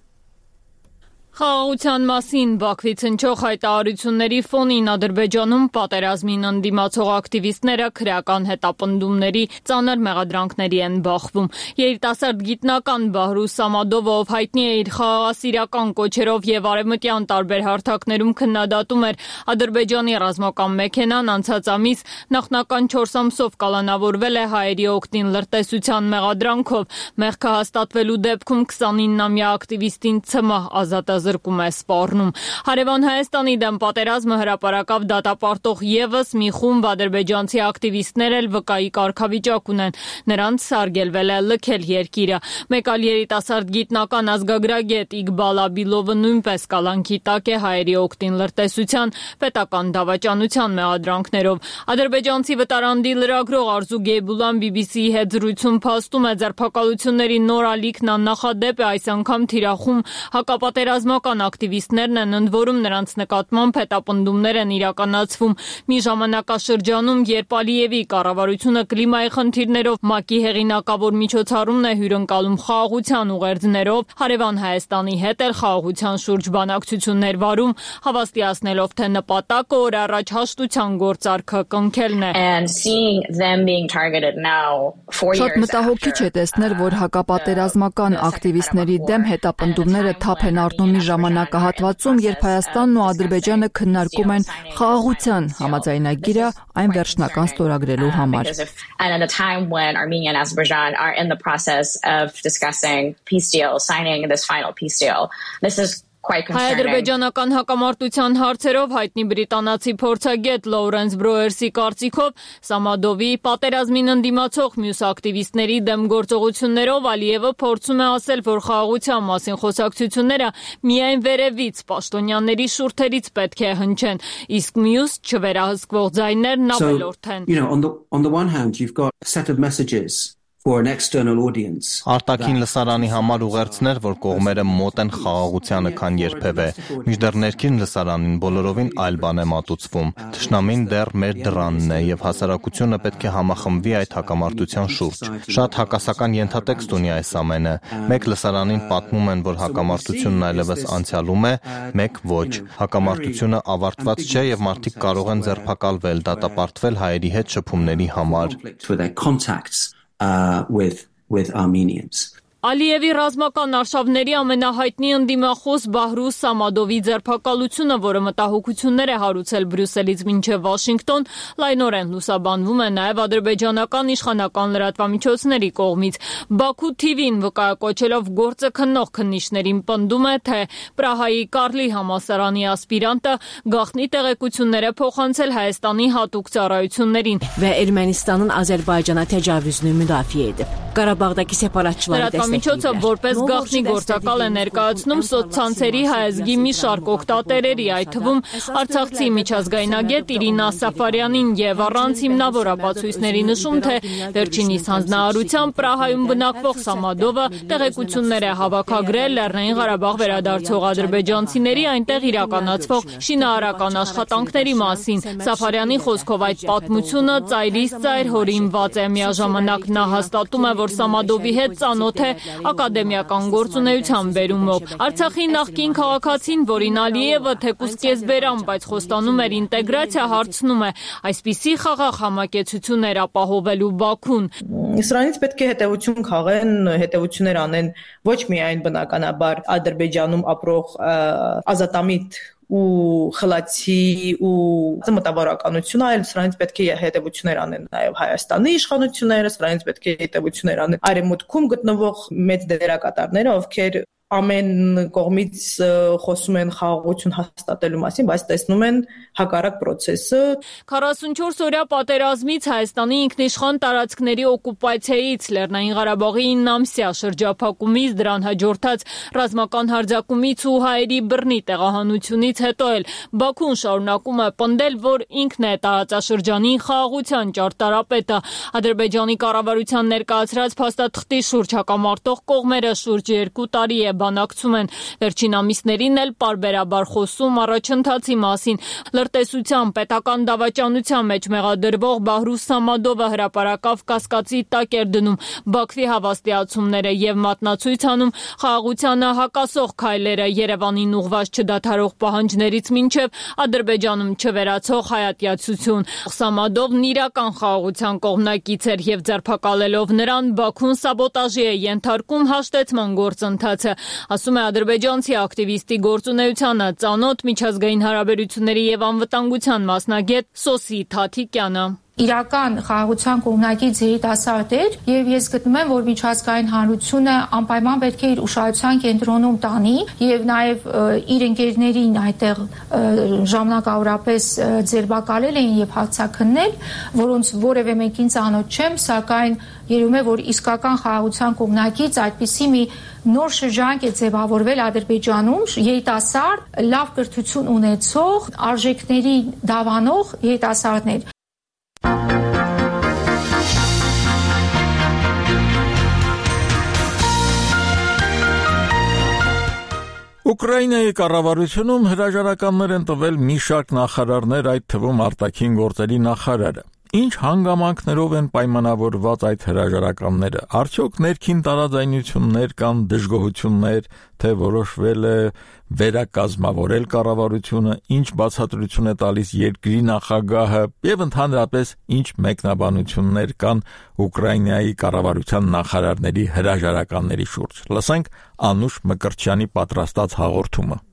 Խաղաղության մասին Բաքվից հնչող հայտարարությունների ֆոնին Ադրբեջանում պատերազմին ընդդիմացող ակտիվիստները քրեական հետապնդումների ծանր մեղադրանքների են բախվում։ Երիտասարդ գիտնական Բահրուս Սամադովը, ով հայտնի է իր խաղաղասիրական կոչերով եւ արևմտյան տարբեր հարթակներում քննադատում էր Ադրբեջանի ռազմական մեքենան, անցած ամիս նախնական 4 ամսով կալանավորվել է հայերի օգտին լրտեսության մեղադրանքով։ Մեղքը հաստատվելու դեպքում 29-ամյա ակտիվիստին ՑՄ ազատազրկում է սպառնում։ Հարևան Հայաստանի դեմ պատերազմը հրապարակավ դատապարտող եւս մի խումբ ադրբեջանցի ակտիվիստներ էլ վկայի կարգավիճակ ունեն։ Նրանց սարգելվել է լքել երկիրը։ Մեկ այլ երիտասարդ գիտնական ազգագրագետ Իգբալ Աբիլովը նույնպես կալանքի տակ է հայերի օգտին լրտեսության պետական դավաճանության մեղադրանքներով։ Ադրբեջանցի վտարանդի լրագրող Արզու Գեյբուլան BBC-ի հետ զրույցում փաստում է, ձերբակալությունների նոր ալիքն աննախադեպ է, այս անգամ թիրախում հակապատերազմական ակտիվիստներն են, ընդ որում նրանց նկատմամբ հետապնդումներ են իրականացվում։ Մի ժամանակաշրջանում, երբ Ալիևի կառավարությունը կլիմայի խնդիրներով ՄԱԿ-ի հեղինակավոր միջոցառումն է հյուրընկալում խաղաղության ուղերձներով, հարևան Հայաստանի հետ էլ խաղաղության շուրջ բանակցություններ վարում, հավաստիացնելով, թե նպատակը օր առաջ հաշտության գործարքը կնքելն է։ Շատ մտահոգիչ է տեսնել, որ հակապատերազմական ակտիվիստների դեմ հետապնդումները թափ են առնում մի ժամանակահատվածում, երբ Հայաստանն ու Ադրբեջանը քննարկում են խաղաղության համաձայնագիրը այն վերջնական ստորագրելու համար։ Հայ-ադրբեջանական հակամարտության հարցերով հայտնի բրիտանացի փորձագետ Լոուրենս Բրոերսի կարծիքով Սամադովի պատերազմին ընդդիմացող մյուս ակտիվիստների դեմ գործողություններով Ալիևը փորձում է ասել, որ խաղաղության մասին խոսակցությունները միայն վերևից պաշտոնյաների շուրթերից պետք է հնչեն, իսկ մյուս չվերահսկվող ձայներն ավելորդ են։ On the one hand, you've got a set of messages for an external audience. Արտաքին լսարանի համար ուղերձներ, որ կողմերը մոտ են խաղաղությանը, քան երբևէ։ Մինչդեռ ներքին լսարանին բոլորովին այլ բան է մատուցվում։ Թշնամին դեռ մեր դռանն է եւ հասարակությունը պետք է համախմբվի այդ հակամարտության շուրջ։ Շատ հակասական ենթատեքստ ունի այս ամենը։ Մեկ լսարանին պատմում են, որ հակամարտությունն այլևս անցյալում է, մեկ ոչ։ Հակամարտությունը ավարտված չէ եւ մարդիկ կարող են ձերբակալվել, դատապարտվել հայերի հետ շփումների համար։ With Armenians. Ալիևի ռազմական արշավների ամենահայտնի ընդդիմախոս Բահրուս Սամադովի ձերբակալությունը, որը մտահոգություններ է հարուցել Բրյուսելից մինչև Վաշինգտոն, լայնորեն լուսաբանվում է նաև ադրբեջանական իշխանական լրատվամիջոցների կողմից։ Բաքու TV-ն վկայակոչելով գործը քննող քննիչներին պնդում է, թե Պրահայի Կարլի համալսարանի ասպիրանտը գաղտնի տեղեկություններ է փոխանցել Հայաստանի հատուկ ծառայություններին։ Ermənistanın Azərbaycana təcavüzünü müdafiə edib. Qarabağdakı separatçıları Միջոցը որպես գաղտնի գործակալ է ներկայացնում սոցցանցերի հայազգի մի շարք օգտատերերի, այդ թվում արցախցի միջազգայնագետ Իրինա Սաֆարյանին եւ առանց հիմնավոր ապացույցների նշում, թե վերջինիս հանձնարարությամբ Պրահայում բնակվող Սամադովը տեղեկություններ է հավաքագրել Լեռնային Ղարաբաղ վերադարձող ադրբեջանցիների այնտեղ իրականացվող շինարարական աշխատանքների մասին։ Սաֆարյանի խոսքով այդ պատմությունը ծայրից ծայր հորինված է, միաժամանակ նա հաստատում է, որ Սամադովի հետ ծանոթ է ակադեմիական գործունեության բերումով։ Արցախի նախկին քաղաքացին, որին Ալիևը թեկուզ կեսբերան, բայց խոստանում էր ինտեգրացիա, հարցնում է, այսպիսի խաղաղ համակեցություններ ապահովելու Բաքուն։ Սրանից պետք է հետևություն քաղեն, հետևություններ անեն ոչ միայն բնականաբար Ադրբեջանում ապրող ազատամիտ ու խլացի ու մտավորականությունը, այլ սրանից պետք է հետևություններ անեն նաև Հայաստանի իշխանությունները, սրանից պետք է հետևություններ անեն արևմուտքում գտնվող մեծ դերակատարները, ովքեր ամեն կողմից խոսում են խաղաղություն հաստատելու մասին, բայց տեսնում են հակառակ process-ը։ 44 օրյա պատերազմից Հայաստանի ինքնիշխան տարածքների օկուպացիայից, Լեռնային Ղարաբաղի 9 ամսյա շրջափակումից, դրան հաջորդած ռազմական հարձակումից ու հայերի բռնի տեղահանությունից հետո էլ Բաքուն շարունակում է պնդել, որ ինքն է տարածաշրջանի խաղաղության ճարտարապետը։ Ադրբեջանի կառավարության ներկայացրած փաստաթղթի շուրջ հակամարտող կողմերը շուրջ 2 տարի է բանակցում են։ Վերջին ամիսներին էլ պարբերաբար խոսում առաջընթացի մասին։ Լրտեսության պետական դավաճանության մեջ մեղադրվող Բահրուս Սամադովը հրապարակավ կասկածի տակ էր դնում Բաքվի հավաստիացումները եւ մատնացույց անում խաղաղությանը հակասող քայլերը, Երևանին ուղղված չդադարող պահանջներից մինչև Ադրբեջանում չվերացող հայատյացություն։ Սամադովն իրական խաղաղության կողմնակից էր եւ ձերբակալելով նրան Բաքուն սաբոտաժի է ենթարկում հաշտեցման գործընթացը, ասում է ադրբեջանցի ակտիվիստի գործունեությանը ծանոթ միջազգային հարաբերությունների եւ անվտանգության մասնագետ Սոսի Թաթիկյանը։ Իրական խաղաղության կողմնակից երիտասարդ էր եւ ես գտնում եմ, որ միջազգային հանրությունը անպայման պետք է իր ուշադրության կենտրոնում տանի եւ նաեւ իր ընկերներին այդտեղ ժամանակավորապես ձերբակալել էին եւ հարձակնել, որոնց որևէ մեկին ծանոթ չեմ, սակայն երևում է, որ իսկական խաղաղության կողմնակից այդպիսի մի նոր շրջանք է ձևավորվել Ադրբեջանում, երիտասարդ, լավ կրթություն ունեցող, արժեքների դավանող երիտասարդներ։ Ուկրաինայի կառավարությունում հրաժարականներ են տվել մի շարք նախարարներ, այդ թվում արտաքին գործերի նախարարը։ Ինչ հանգամանքներով են պայմանավորված այդ հրաժարականները։ Արդյոք ներքին տարաձայնություններ կան, դժգոհություններ, թե որոշվել է վերակազմավորել կառավարությունը, ինչ բացատրություն է տալիս երկրի նախագահը եւ ընդհանրապես ինչ մեկնաբանություններ կան Ուկրաինայի կառավարության նախարարների հրաժարականների շուրջ։ Լսենք Անուշ Մկրտչյանի պատրաստած հաղորդումը։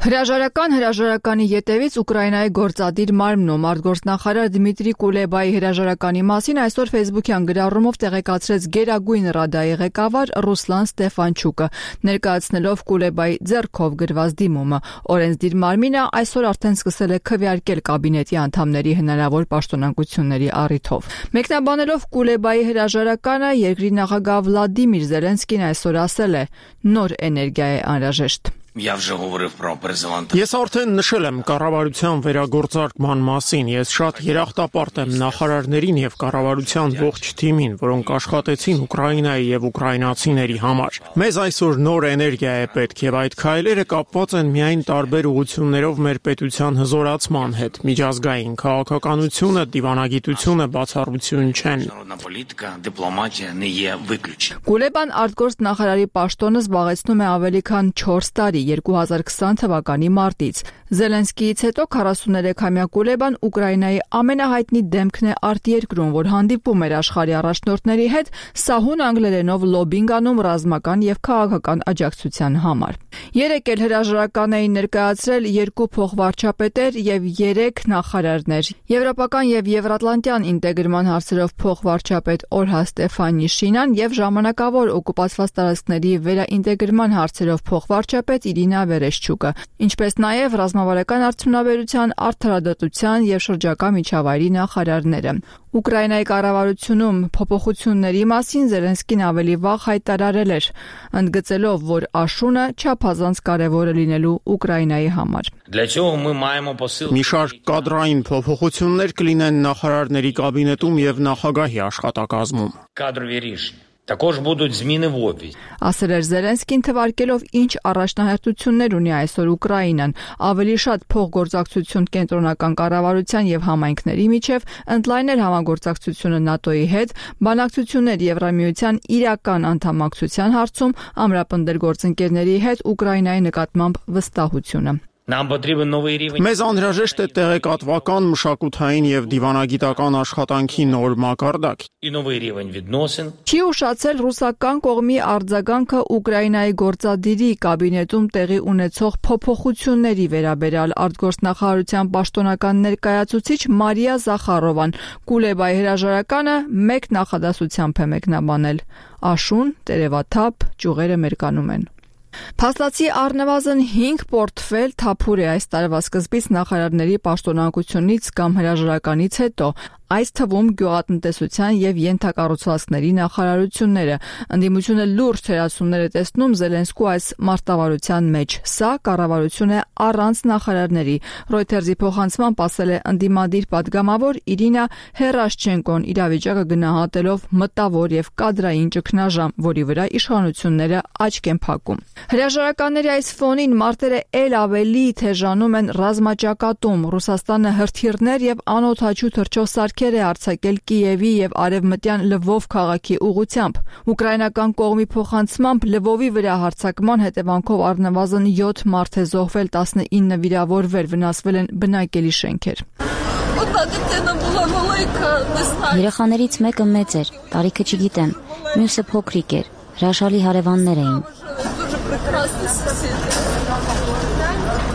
Հրաժարականի ետևից Ուկրաինայի գործադիր մարմնում արտգործնախարար Դմիտրի Կուլեբայի հրաժարականի մասին այսօր Facebook-յան գրառումով տեղեկացրեց Գերագույն Ռադայի ղեկավար Ռուսլան Ստեֆանչուկը, ներկայացնելով Կուլեբայի ձեռքով գրված դիմումը։ Օրենսդիր մարմինը այսօր արդեն սկսել է քվեարկել կաբինետի անդամների հնարավոր պաշտոնանկությունների առիթով։ Մեկնաբանելով Կուլեբայի հրաժարականը, երկրի նախագահ Վլադիմիր Զելենսկին այսօր ասել է. «Նոր էներգիա է անհրաժեշտ»։ Ես արդեն նշել եմ կառավարության վերագործարկման մասին, ես շատ երախտապարտ եմ նախարարներին եւ կառավարության ողջ թիմին, որոնք աշխատեցին Ուկրաինայի եւ ուկրաինացիների համար։ Մեզ այսօր նոր էներգիա է պետք եւ այդ քայլերը կապված են միայն տարբեր ուղղություններով մեր պետության հզորացման հետ։ Միջազգային քաղաքականությունը, դիվանագիտությունը բացառություն չեն։ Կուլեբան արտգործնախարարի պաշտոնը զբաղեցնում է ավելի քան 4 տարի 2020 թվականի մարտից։ Զելենսկիից հետո 43-ամյա Կուլեբան Ուկրաինայի ամենահայտնի դեմքն է արտերկրում, որ հանդիպում էր աշխարհի առաջնորդների հետ սահուն անգլերենով լոբինգ անում ռազմական եւ քաղաքական աջակցության համար։ Երեկ էլ հրաժարական էին ներկայացրել 2 փոխվարչապետեր եւ 3 նախարարներ։ Եվրոպական եւ եվրատլանտյան ինտեգրման հարցերով փոխվարչապետ Օլհա Ստեֆանիշինան եւ ժամանակավոր օկուպացված տարածքների վերաինտեգրման հարցերով փոխվարչապետ Իրինա Վերեշչուկը, ինչպես նաև ռազմավարական արդյունաբերության, արդարադատության եւ շրջակա միջավայրի նախարարները։ Ուկրաինայի կառավարությունում փոփոխությունների մասին Զելենսկին ավելի վաղ հայտարարել էր, ընդգծելով, որ աշունը չափազանց կարևոր է լինելու Ուկրաինայի համար։ Մի շարք կադրային փոփոխություններ կլինեն նախարարների կաբինետում եւ նախագահի աշխատակազմում։ Ասել էր Զելենսկին, թվարկելով ինչ առաջնահերթություններ ունի այսօր Ուկրաինան, ավելի շատ փոխգործակցություն կենտրոնական կառավարության եւ համայնքների միջև, ընդլայնել համագործակցությունը ՆԱՏՕ-ի հետ, բանակցություններ Եվրամիության իրական անդամակցության հարցում, ամրապնդել գործընկերների հետ Ուկրաինայի նկատմամբ վստահությունը։ Մեզ անհրաժեշտ է տեղեկատվական, մշակութային եւ դիվանագիտական աշխատանքի նոր մակարդակ։ Չի ուշացել ռուսական կողմի արձագանքը Ուկրաինայի գործադիրի կաբինետում տեղի ունեցող փոփոխությունների վերաբերյալ արտգործնախարարության պաշտոնական ներկայացուցիչ Մարիա Զախարովան Կուլեբայի հրաժարականը մեկ նախադասությամբ է մեկնաբանել. «Աշուն, տերևաթափ, ճյուղերը մերկանում են»։ Փաստացի առնվազն 5 պորտֆել թափուր է այս տարվա սկզբից նախարարների պաշտոնանկությունից կամ հրաժարականից հետո, այս թվում գյուղատնտեսության եւ ենթակառուցվածքների նախարարությունները։ Ընդդիմությունը լուրջ թերացումներ է տեսնում Զելենսկու այս մարտավարության մեջ։ Սա կառավարություն է առանց նախարարների։ Reuters-ի փոխանցմամբ ասել է ընդդիմադիր падգամավոր Իրինա Հերաշչենկոն իրավիճակը գնահատելով մտավոր եւ կադրային ճգնաժամ, որի վրա իշխանությունները աչք են փակում։ Հրաժարականների այս ֆոնին մարտերը ել ավելի թեժանում են ռազմաճակատում։ Ռուսաստանը հրթիռներ եւ անօդաչու թռչող է արձակել Կիևի եւ արևմտյան Լվով քաղաքի ուղղությամբ։ Ուկրաինական կողմի փոխանցմամբ Լվովի վրա հարձակման հետևանքով առնվազն 7 մարդ է զոհվել, 19 վիրավորվել, վնասվել են բնակելի շենքեր։ Երեխաներից մեկը մեծ էր, տարիքը չգիտեմ, մյուսը փոքրիկ էր, հրաշալի հարևաններ էին։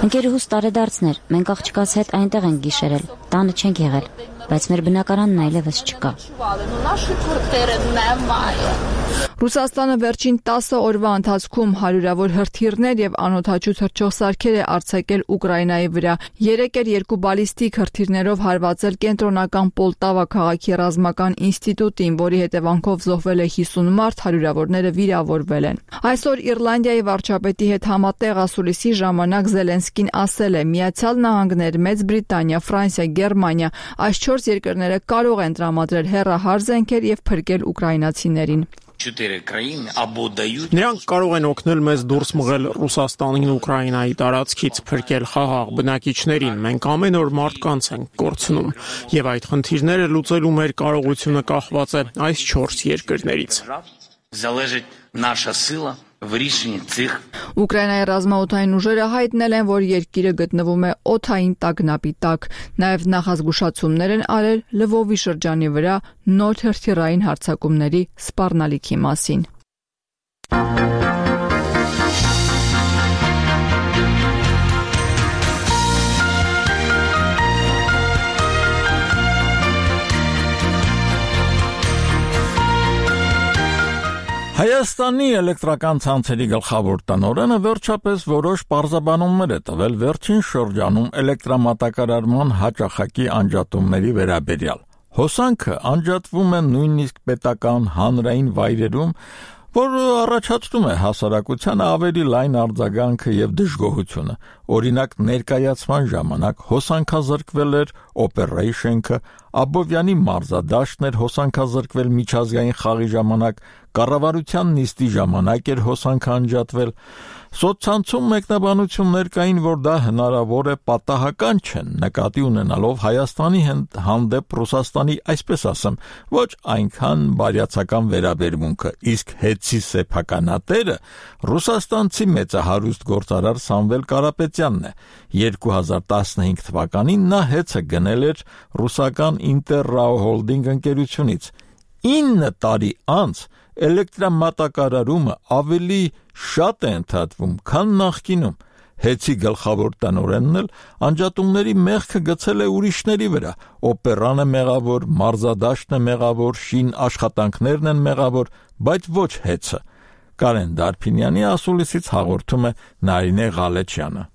Ընկերուհուս տարեդարձներ, մենք աղջկաց հետ այնտեղ ենք գիշերել, տանը չենք եղել, բայց մեր բնակարանն այլևս չկա։ Ռուսաստանը վերջին 10 օրվա ընթացքում հարյուրավոր հրթիռներ եւ անօդաչու թռչող սարքեր է արձակել Ուկրաինայի վրա։ Երեկ էր 2 բալիստիկ հրթիռներով հարվածել կենտրոնական Պոլտավա քաղաքի ռազմական ինստիտուտին, որի հետևանքով զոհվել է 50 մարդ, հարյուրավորները վիրավորվել են։ Այսօր Իռլանդիայի վարչապետի հետ համատեղ ասուլիսի ժամանակ Զելենսկին ասել է. Միացյալ Նահանգներ, Մեծ Բրիտանիա, Ֆրանսիա, Գերմանիա, այս 4 երկրները կարող են տրամադրել հեռահար զենքեր եւ փրկել ուկրաինացիներին։ Նրանք կարող են օգնել մեզ դուրս մղել Ռուսաստանին ու Ուկրաինայի տարածքից, փրկել խաղաղ բնակիչներին։ Մենք ամեն օր մարդկանց ենք կորցնում, եւ այդ խնդիրները լուծելու մեր կարողությունը կախված է այս 4 երկրներից։ Ուկրաինայի ռազմաօդային ուժերը հայտնել են, որ երկիրը գտնվում է օդային տագնապի տակ։ Նաև նախազգուշացումներ են արել Լվովի շրջանի վրա նոր հրթիռային հարձակումների սպառնալիքի մասին։ Հայաստանի էլեկտրական ցանցերի գլխավոր տնօրենը վերջապես որոշ պարզաբանումներ է տվել վերջին շրջանում էլեկտրամատակարարման հաճախակի անջատումների վերաբերյալ։ Հոսանքը անջատվում է նույնիսկ պետական հանրային վայրերում, որը առաջացնում է հասարակությանը ավելի լայն արձագանքը եւ դժգոհությունը։ Օրինակ, ներկայացման ժամանակ հոսանքազրկվել էր օպերեյշնը, Աբովյանի մարզադաշտն էր հոսանքազրկվել միջազգային խաղի ժամանակ, կառավարության նիստի ժամանակ էր հոսանքը անջատվել։ Սոցցանցում մեկնաբանություններ կային, որ դա հնարավոր է պատահական չեն, նկատի ունենալով Հայաստանի հանդեպ Ռուսաստանի, այսպես ասեմ, ոչ այնքան բարյացակամ վերաբերմունքը, իսկ հետցի սեփականատերը ռուսաստանցի մեծահարուստ գործարար Սամվել Կարապետյանն է։ 2015 թվականին նա հեծը գնել էր ռուսական Ինտերրաո հոլդինգ ընկերությունից։ 9 տարի անց էլեկտրամատակարարումը ավելի շատ է ընդհատվում, քան նախկինում։ Հեծի գլխավոր տնօրենն էլ անջատումների մեղքը գցել է ուրիշների վրա։ Օպերանը մեղավոր, մարզադաշտն է մեղավոր, շին աշխատանքներն են մեղավոր, բայց ոչ հեծը։ Կարեն Դարփինյանի ասուլիսից հաղորդում է Նարինե Ղալեչյանը։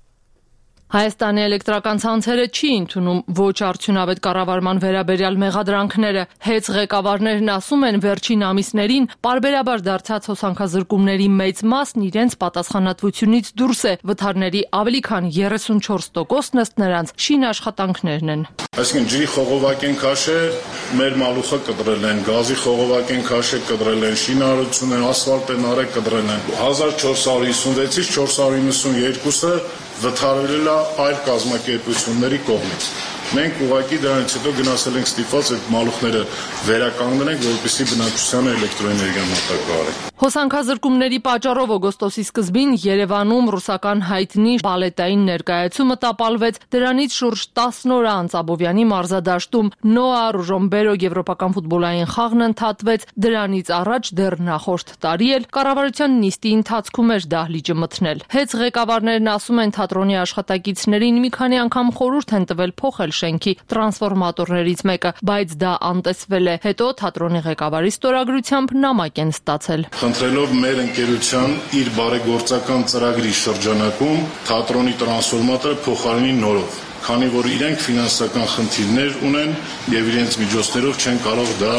Հայաստանի էլեկտրական ցանցերը չի ընդունում ոչ արդյունավետ կառավարման վերաբերյալ մեղադրանքները։ Հեծ ղեկավարներն ասում են, վերջին ամիսներին պարբերաբար դարձած հոսանքազրկումների մեծ մասն իրենց պատասխանատվությունից դուրս է։ Վթարների ավելի քան 34%-ն ըստ նրանց շին աշխատանքներն են։ Այսինքն ջրի խողովակ են քաշել, մեր մալուխը կտրել են, գազի խողովակ են քաշել, կտրել են, շինարարություն են, ասֆալտ են արել, կտրել են։ 1456-ից 492-ը վթարվել է այլ կազմակերպությունների կողմից։ Մենք ուղղակի դրանից հետո գնացել ենք ստիպված այդ մալուխները վերականգնենք, որպեսզի բնակչությանը էլեկտրոէներգիա մատակարարենք։ Հոսանքազրկումների պատճառով օգոստոսի սկզբին Երևանում ռուսական հայտնի բալետային ներկայացումը տապալվեց, դրանից շուրջ 10 օր անց Աբովյանի մարզադաշտում Նոա Ռուժոմբերո եվրոպական ֆուտբոլային խաղն ընդհատվեց, դրանից առաջ դեռ նախորդ տարի էլ կառավարության նիստի ընթացքում էր դահլիճը մթնել։ Հեծ ղեկավարներն ասում են, թատրոնի աշխատակիցներին մի քանի անգամ խորհուրդ են տվել փոխել շենքի տրանսֆորմատորներից մեկը, բայց դա անտեսվել է։ Հետո թատրոնի ղեկավարի ստորագրությամբ նամակ են ստացել։ Խնդրելով մեր ընկերության իր բարեգործական ծրագրի շրջանակում թատրոնի տրանսֆորմատորը փոխարինի նորով, քանի որ իրենք ֆինանսական խնդիրներ ունեն եւ իրենց միջոցներով չեն կարող դա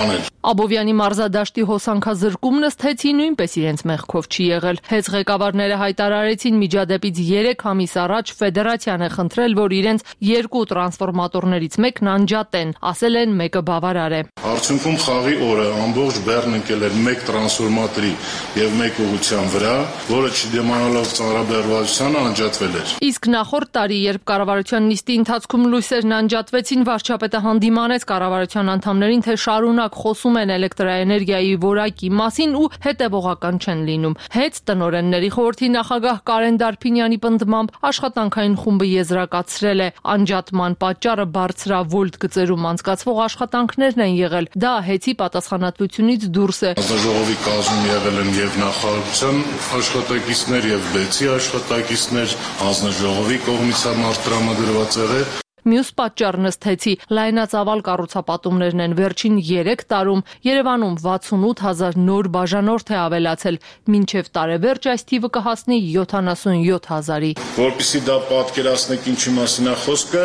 անել։ Աբովյանի մարզադաշտի հոսանքազրկումն ըստ հեծի նույնպես իրենց մեղքով չի եղել։ Հեծ ղեկավարները հայտարարեցին միջադեպից 3 ամիս առաջ ֆեդերացիան է խնդրել, որ իրենց 2 տրանսֆորմատորներից մեկն անջատեն, ասել են մեկը բավարար է։ Արդյունքում խաղի օրը ամբողջ Բեռն ընկել էր 1 տրանսֆորմատորի եւ 1 ուղղության վրա, որը չդիմանալով ծանրաբեռվածությանը անջատվել էր։ Իսկ նախորդ տարի, երբ կառավարության նիստի ընթացքում լույսերն անջատվեցին, վարչապետը հանդիմանեց կառավարության անդամներին, թե շարունակ խոսում են էլեկտրաէներգիայի որակի մասին ու հետևողական չեն լինում։ Հեծ տնօրենների խորհրդի նախագահ Կարեն Դարփինյանի պնդմամբ աշխատանքային խումբը եզրակացրել է, անջատման պատճառը բարձրավոլտ գծերում անցկացվող աշխատանքներն են եղել։ Դա հեծի պատասխանատվությունից դուրս է։ Հանձնաժողովի կազմում եղել են եւ նախարարության աշխատակիցներ եւ բեցի աշխատակիցներ, հանձնաժողովի կողմից տրամադրված եղել։ Մյուս պատճառն ըստ հեծի լայնածավալ կառուցապատումներն են։ Վերջին 3 տարում Երևանում 68000 նոր բաժանորդ է ավելացել, մինչև տարեվերջ այս թիվը կհասնի 77000-ի։ Որպեսզի դա պատկերացնեք ինչի մասին է խոսքը,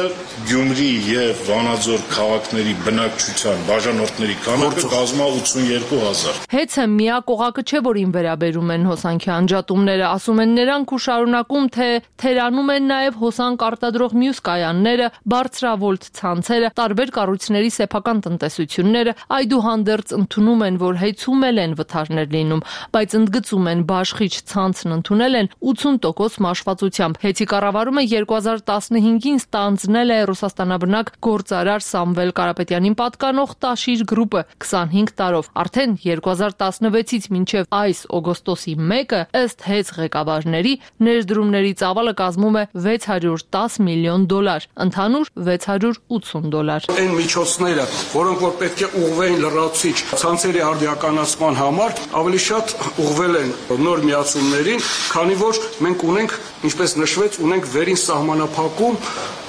Գյումրի եւ Վանաձոր քաղաքների բնակչության բաժանորդների քանակը կազմա 82000։ Հեծը միակ օղակը չէ, որին վերաբերում են հոսանքի անջատումները, ասում են նրանք ու շարունակում, թե թերանում են նաեւ հոսանք արտադրող մյուս կայանները, բարձրավոլտ ցանցերը, տարբեր կառույցների սեփական տնտեսությունները այդուհանդերձ ընդունում են, որ հեծումել են վթարներ լինում, բայց ընդգծում են բաշխիչ ցանցն ընդունել են 80% մաշվածությամբ։ Հեծի կառավարումը 2015-ին ստանձնել է Ռուսաստանաբնակ գործարար Սամվել Կարապետյանին պատկանող Տաշիր գրուպը 25 տարով։ Արդեն 2016-ից մինչև այս օգոստոսի 1-ը ըստ հեծ ղեկավարների ներդրումների ծավալը կազմում է $610 միլիոն, ընդհանուր $680։ Այն միջոցները, որոնք որ պետք է ուղղվեին լրացուցիչ ցանցերի արդիականացման համար, ավելի շատ ուղղվել են նոր միացումներին, քանի որ մենք ունենք, ինչպես նշվեց, ունենք վերին սահմանափակում,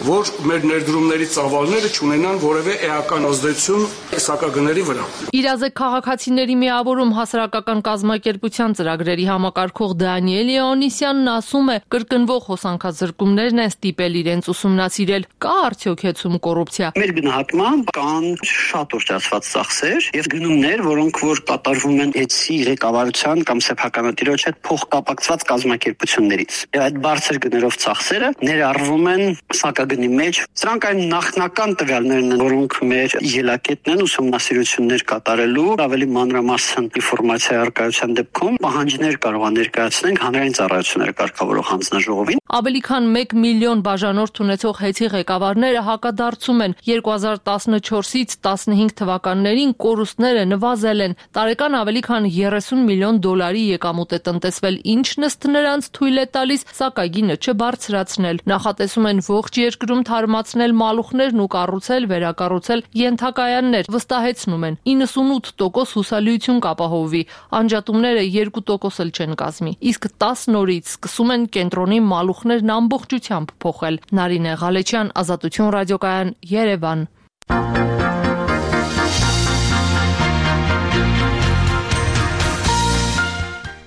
որ մեր ներդրումների ծավալները չունենան որևէ էական ազդեցություն սակագների վրա։ Իրազեկ քաղաքացիների միավորում հասարակական կազմակերպության ծրագրերի համակարգող Դանիել Լեոնիսյանն ասում է, կրկնվող հոսանքազրկումներն են ստիպել իրենց ուսումնասիրել, կա արդյոք հեծում կոռուպցիա։ Մեր գնահատմամբ կան շատ ուռճացված ծախսեր եւ գնումներ, որոնք որ կատարվում են հեծի ղեկավարության կամ սեփականատիրոջ հետ փոխկապակցված կազմակերպություններից։ Եվ այդ բարձր գներով ծախսերը ներառվում են սակագնի մեջ։ Սրանք այն նախնական տվյալներն են, որոնք մեր ելակետն են ուսումնասիրություններ կատարելու, ավելի մանրամասն ինֆորմացիա առկայության դեպքում պահանջներ կարող են ներկայացնենք հանրային ծառայությունները կարգավորող հանձնաժողովին։ Ավելի քան 1 միլիոն բաժանորդ ունեցող հեծի ղեկավարները հակադարձում են 2014-ից 15 թվականներին կորուստները նվազել են, տարեկան ավելի քան $30 միլիոն եկամուտ է տնտեսվել, ինչն ըստ նրանց թույլ է տալիս սակագինը չբարձրացնել։ Նախատեսում են ողջ երկրում թարմացնել մալուխներն ու կառուցել, վերակառուցել ենթակայաններ, վստահեցնում են 98% հուսալիություն կապահովվի, անջատումները 2% էլ չեն կազմի, իսկ 10 նորից սկսում են կենտրոնի մալուխներն ամբողջությամբ փոխել։ Նարինե Ղալեչյան, Ազատություն ռադիոկայան, Երևան։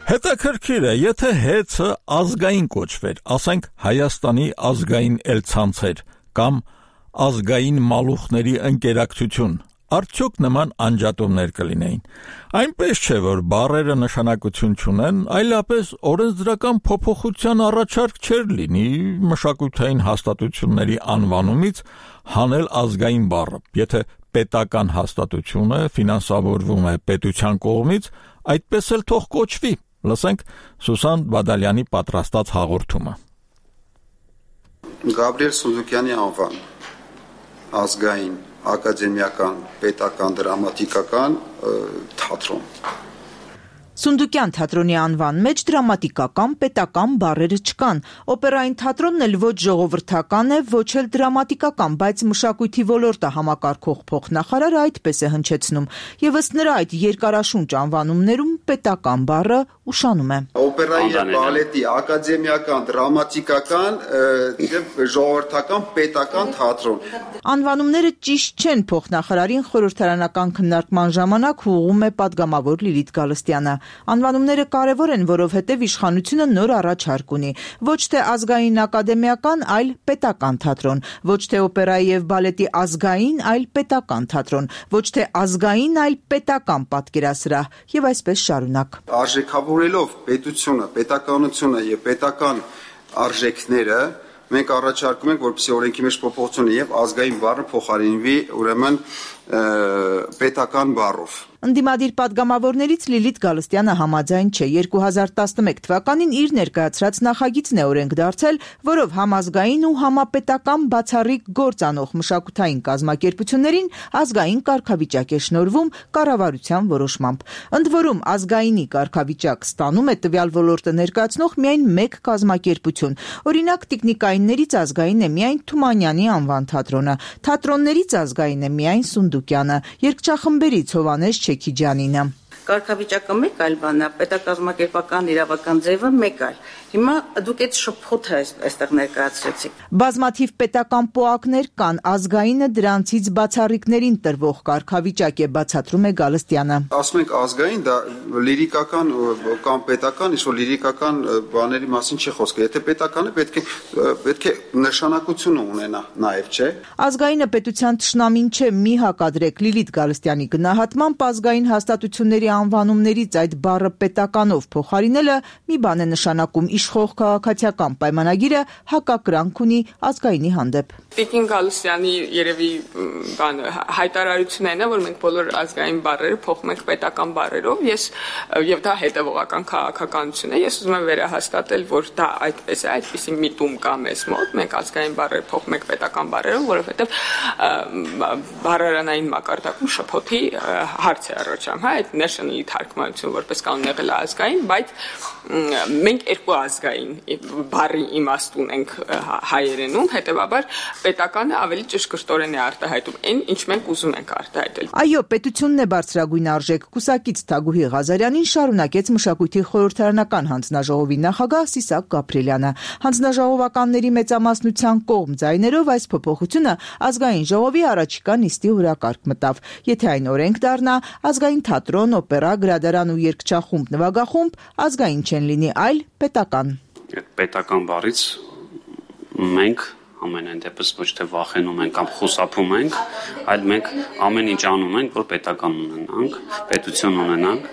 Հետաքրքիր է, եթե հեծը ազգային կոչվեր, ասենք Հայաստանի ազգային ցանցեր կամ ազգային մալուխների ընկերակցություն, արդյոք նման անջատումներ կլինեին։ Այնպես չէ, որ բառերը նշանակություն չունեն, այլապես օրենսդրական փոփոխության առաջարկ չէր լինի մշակութային հաստատությունների անվանումից հանել ազգային բառը։ Եթե պետական հաստատությունը ֆինանսավորվում է պետության կողմից, այդպես էլ թող կոչվի։ Լսենք Սուսան Բադալյանի պատրաստած հաղորդումը։ Գաբրիել Սունդուկյանի անվան, ազգային, ակադեմիական, պետական, դրամատիկական թատրոն։ Սունդուկյան թատրոնի անվան մեջ դրամատիկական, պետական բառերը չկան։ Օպերային թատրոնն էլ ոչ ժողովրդական է, ոչ էլ դրամատիկական, բայց մշակույթի ոլորտը համակարգող փոխնախարարը այդպես է հնչեցնում։ Եվ ըստ նրա այդ երկարաշունչ անվանումներում պետական բառը ուշանում է։ Օպերայի եւ բալետի ակադեմիական, դրամատիկական եւ ժողովրդական, պետական թատրոն։ Անվանումները ճիշտ չեն, փոխնախարարին խորհրդարանական քննարկման ժամանակ ուղղում է падգամավոր Լիլիթ Գալստյանը։ Անվանումները կարևոր են, որովհետև իշխանությունը նոր առաջարկ ունի։ Ոչ թե ազգային ակադեմիական, այլ պետական թատրոն, ոչ թե օպերայի եւ բալետի ազգային, այլ պետական թատրոն, ոչ թե ազգային, այլ պետական պատկերասրահ եւ այսպես շարունակ։ Արժեքավորելով պետությունը, պետականությունը եւ պետական արժեքները մենք առաջարկում ենք, որպեսզի օրենքի մեջ փոփոխություն եւ ազգային բառը փոխարինվի ուրեմն պետական բառով։ Ընդդիմադիր падգամավորներից Լիլիթ Գալստյանը համաձայն չէ։ 2011 թվականին իր ներկայացրած նախագիծն է օրենք դարձել, որով համազգային ու համապետական բացառիկ գործ անող մշակութային կազմակերպություններին ազգային կարգավիճակ է շնորհվում կառավարության որոշմամբ։ Ընդ որում ազգայինի կարգավիճակ ստանում է տվյալ ոլորտը ներկայացնող միայն մեկ կազմակերպություն։ Օրինակ տիկնիկայիններից ազգային է միայն Թումանյանի անվան թատրոնը, թատրոններից ազգային է միայն Սունդուկյանը, երգչախմբերից Հովանես Չեքիջանինը։ Կարգավիճակը մեկ այլ բան է, պետակազմակերպական իրավական ձևը մեկ այլ։ Հիմա դուք այդ շփոթը այստեղ ներկայացրեցիք։ Բազմաթիվ պետական պոակներ կան, ազգայինը դրանցից բացառիկներին տրվող կարգավիճակ է, բացատրում է Գալստյանը։ Ասում ենք ազգային, դա լիրիկական կամ պետական, ինչ որ լիրիկական բաների մասին չի խոսքը։ Եթե պետական է, պետք է նշանակություն ունենա նաև, չէ՞։ Ազգայինը պետության թշնամին չէ, մի հակադրեք Լիլիթ Գալստյանի գնահատմամբ ազգային հաստատությունների անվանումներից այդ բառը պետականով փոխարինելը մի բան է նշանակում իշխող քաղաքացիական պայմանագիրը հակակրանք ունի ազգայինի հանդեպ։ Տիկին Գալուսյանի երևի հայտարարությունն է, որ մենք բոլոր ազգային բառերը փոխում ենք պետական բառերով, եւ դա հետևողական քաղաքականություն է։ Ես ուզում եմ վերահաստատել, որ դա այդպես է, այդպիսի միտում կա մեզ մոտ, մենք ազգային բառեր փոխում ենք պետական բառերով, որովհետեւ բառարանային մակարդակում շփոթի հարց է առաջանում, այդ national-ի թարգմանություն որպես կանոն եղել է ազգային, բայց մենք երկու ազգային բառի իմաստ ունենք հայերենում, հետեւաբար պետականը ավելի ճշգրտորեն է արտահայտում այն, ինչ մենք ուզում ենք արտահայտել։ Այո, պետությունն է բարձրագույն արժեք, կուսակից Թագուհի Ղազարյանին շարունակեց մշակույթի խորհրդարանական հանձնաժողովի նախագահ Սիսակ Գաբրելյանը։ Հանձնաժողովականների մեծամասնության կողմ ձայներով այս փոփոխությունը ազգային ժողովի առաջիկա նիստի օրակարգ մտավ։ Եթե այն օրենք դառնա, ազգային թատրոն, օպերա, գրադարան ու երգչախումբ, նվագախումբ ազգային չեն լինի, այլ պետական։ Պետական բառից մենք ամենայն դեպս ոչ թե վախենում ենք կամ խուսափում ենք, այլ մենք ամեն ինչ անում ենք, որ պետական ունենանք, պետություն ունենանք։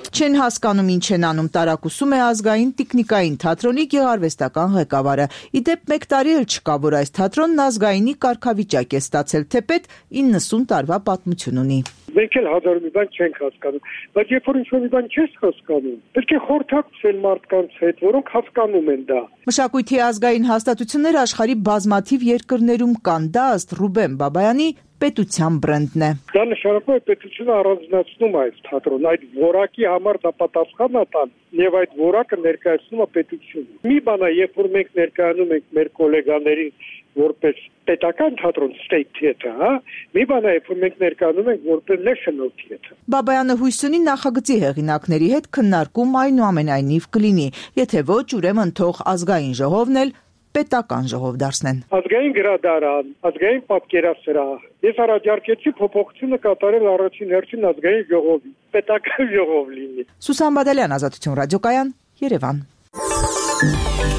Չեն հասկանում ինչ են անում, տարակուսում է ազգային տիկնիկային թատրոնի գեղարվեստական ղեկավարը։ Իդեպ 1 տարի էլ չկա, որ այս թատրոնն ազգայինի կարգավիճակ է ստացել, թեպետ 90 տարվա պատմություն ունի։ Մենք էլ հազար մի բան չենք հասկանում, բայց երբ որ ինչ-որ մի բան չես հասկանում, պետք է խորհրդակցել մարդկանց հետ, որոնք հասկանում են դա։ Մշակույթի ազգային հաստատությունները աշխարհի բազմաթիվ երկրներում կան, դա ըստ Ռուբեն Բաբայանի պետության բրենդն է։ Դա նշանակում է պետությունը առանձնացնում է այս թատրոնը, այդ որակի համար դա պատասխան է տան եւ այդ որակը ներկայացնում է պետությունը։ Մի բան է, երբ որ մենք ներկայանում ենք մեր գոլեգաներին որպես պետական թատրոն state theater, հա, մի բան է, երբ որ մենք ներկայանում ենք որպես national theater։ Բաբայանը հույս ունի նախագծի հեղինակների հետ քննարկում այնուամենայնիվ կլինի, եթե ոչ, ուրեմն թող ազգային ժողովն էլ պետական ժողով դարձնեն։ Ազգային գրադարան, ազգային պատկերասրահ։ Ես առաջարկեցի փոփոխությունը կատարել առաջին հերթին ազգային ժողովի, պետական ժողով լինի։ Սուսան Բադալյան, Ազատություն ռադիոկայան, Երևան։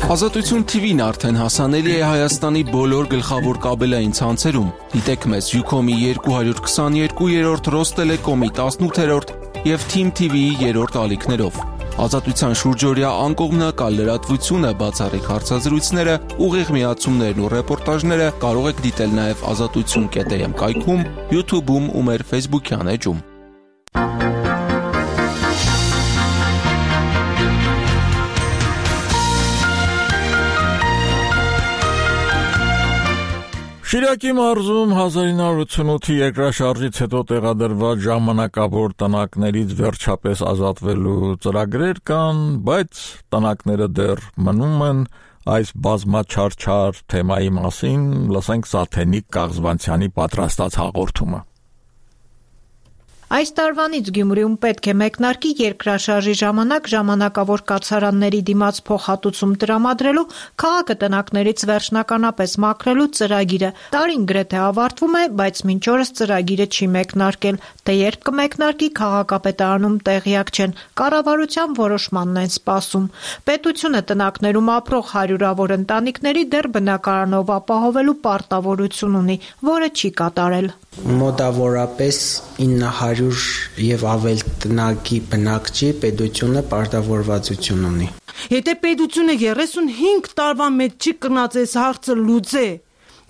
Ազատություն TV-ն արդեն հասանելի է Հայաստանի բոլոր գլխավոր կաբելային ցանցերում։ Դիտեք մեզ Ucom-ի 222-րդ, Ռոստելեկոմի 18-րդ եւ Team TV-ի 3-րդ ալիքներով։ Ազատության շուրջօրյա անկողմնակալ լրատվությունը, բացառիկ հարցազրույցները, ուղիղ միացումներն ու ռեպորտաժները կարող եք դիտել նաև azatutsun.am կայքում, YouTube-ում ու մեր Facebook-յան էջում։ Շիրակի մարզում 1988-ի երկրաշարժից հետո տեղադրված ժամանակավոր տնակներից վերջապես ազատվելու ծրագրեր կան, բայց տնակները դեռ մնում են։ Այս բազմաչարչար թեմայի մասին լսենք Սաթենիկ Կաղզվանցյանի պատրաստած հաղորդումը։ Այս տարվանից Գյումրիում պետք է մեկնարկի երկրաշարժի ժամանակ ժամանակավոր կացարանների դիմաց փոխհատուցում տրամադրելու, քաղաքը տնակներից վերջնականապես մաքրելու ծրագիրը։ Տարին գրեթե ավարտվում է, բայց մինչ օրս ծրագիրը չի մեկնարկել, թե երբ կմեկնարկի քաղաքապետարանում տեղյակ չեն, կառավարության որոշմանն են սպասում։ Պետությունը տնակներում ապրող հարյուրավոր ընտանիքների դեռ բնակարանով ապահովելու պարտավորություն ունի, որը չի կատարել։ Մոտավորապես 900 եւ ավել տնակի բնակչի պետությունը պարտավորվածություն ունի։ Եթե պետությունը 35 տարվա մեջ չի կնած այս հարցը լուծե,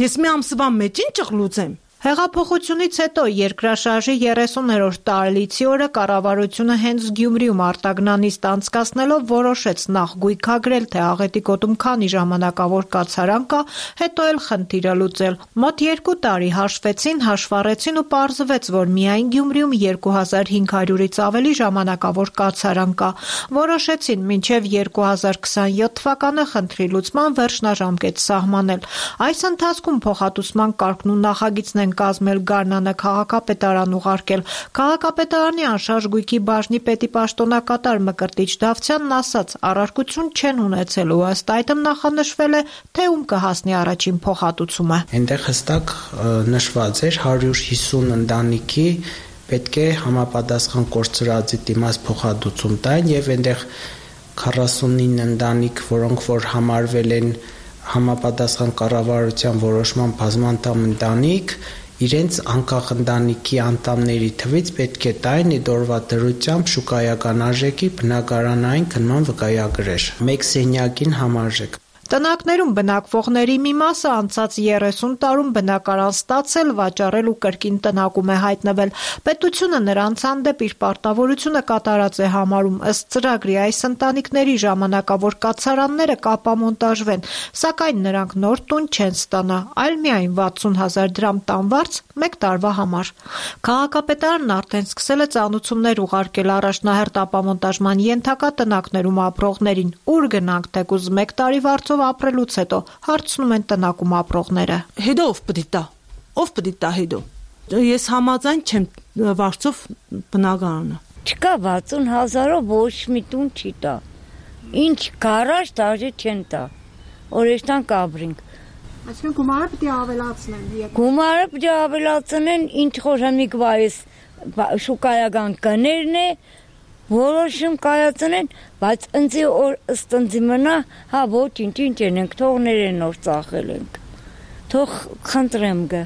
ես մի ամսվա մեջ ինչ կլուծեմ։ Հեղափոխությունից հետո երկրաշարժի 30-րդ տարելիցի օրը կառավարությունը հենց Գյումրիում արտագնանիստ անցկացնելով որոշեց նախ գույքագրել, թե Աղետի գոտում քանի ժամանակավոր կացարան կա, հետո էլ խնդիրը լուծել։ Մոտ 2 տարի հաշվեցին, հաշվառեցին ու պարզվեց, որ միայն Գյումրիում 2500-ից ավելի ժամանակավոր կացարան կա։ Որոշեցին մինչև 2027 թվականը խնդրի լուծման վերջնաժամկետ սահմանել։ Այս ընթացքում փոխհատուցման կարգն ու նախագիծն կազմել Գարնանը քաղաքապետարան ուղարկել։ Քաղաքապետարանի անշարժ գույքի բաժնի պետի պաշտոնակատար Մկրտիչ Դավթյանն ասաց, առարկություն չեն ունեցել ու ըստ այդմ նախանշվել է, թե ում կհասնի առաջին փոխհատուցումը։ Այնտեղ հստակ նշված էր 150 ընտանիքի պետք է համապատասխան կորցրածի դիմաց փոխհատուցում տային եւ այնտեղ 49 ընտանիք, որոնք որ համարվել են համապատասխան կառավարության որոշման բազմանդամ ընտանիք իրենց անկախ ընտանիքի անդամների թվից պետք է տային իդ օրվա դրությամբ շուկայական արժեքի բնակարանային քննման վկայագրեր, 1 սենյակին համարժեք։ Տնակներում բնակվողների մի մասը անցած 30 տարում բնակարան ստացել, վաճառել ու կրկին տնակում է հայտնվել։ Պետությունը նրանց հանդեպ իր պարտավորությունը կատարած է համարում, ըստ ծրագրի այս ընտանիքների ժամանակավոր կացարանները կապամոնտաժվեն, սակայն նրանք նոր տուն չեն ստանա, այլ միայն 60,000 դրամ տանվարձ 1 տարվա համար։ Քաղաքապետարանն արդեն սկսել է ծանուցումներ ուղարկել առաջնահերթ ապամոնտաժման ենթակա տնակներում ապրողներին, ուր գնանք թեկուզ 1 տարի վարձով ապրելուց հետո հարցնում են տնակում ապրողները։ Հետո ով պիտի տա հետո։ Ես համաձայն չեմ վարձով բնակարանը։ Չկա 60,000-ով ոչ մի տուն չի տա։ Ինչ գարաժ դաժե չեն տա։ Օրեշտան կաբրինք։ Այսինքն գումարը պիտի ավելացնեն։ Գումարը պիտի ավելացնեն, ինչ խորհամիկ վայս շուկայական կներն է, որոշում կայացնեն, բայց ընձի օր ըստընձի մնա, հա ոչինչ ենք, թողներ են որ ծախել ենք, թող խնդրեմ գը,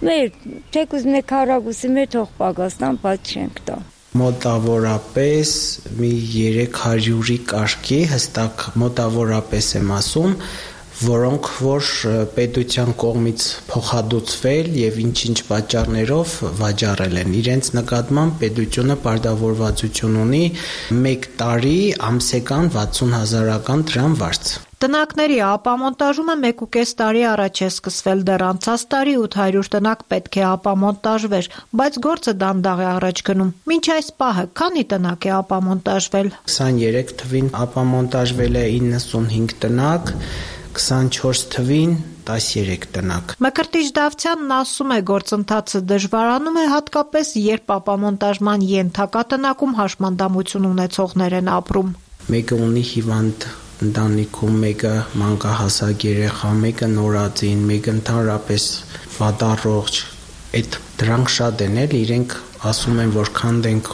մեր թեկուզ մեկ հարագուսի մեր թող պագաստան, բայց չենք տա։ Մոտավորապես մի 300-ի կարգի հստակ մոտավորապես եմ ասում, որոնք որ պետության կողմից փոխհատուցվել եւ ինչ-ինչ պատճառներով վաճառել են։ Իրենց նկատմամբ պետությունը պարտավորվածություն ունի 1 տարի ամսական 60,000 դրամ վարձ։ Տնակների ապամոնտաժումը 1.5 տարի առաջ է սկսվել, դեռ անցած տարի 800 տնակ պետք է ապամոնտաժվեր, բայց գործը դանդաղ է առաջ գնում։ Մինչ այս պահը քանի տնակ է ապամոնտաժվել։ 23 թվին ապամոնտաժվել է 95 տնակ, 24 թվին 13 տնակ։ Մկրտիչ Դավթյանն ասում է, գործընթացը դժվարանում է հատկապես, երբ ապամոնտաժման ենթակա տնակում հաշմանդամություն ունեցողներ են ապրում։ Մեկը ունի հիվանդ ընտանիքում, մեկը մանկահասակ երեխա, մեկը նորածին, մեկը ընդհանրապես վատառողջ, այդ դրանք շատ են էլ, իրենք ասում են, որ քանդենք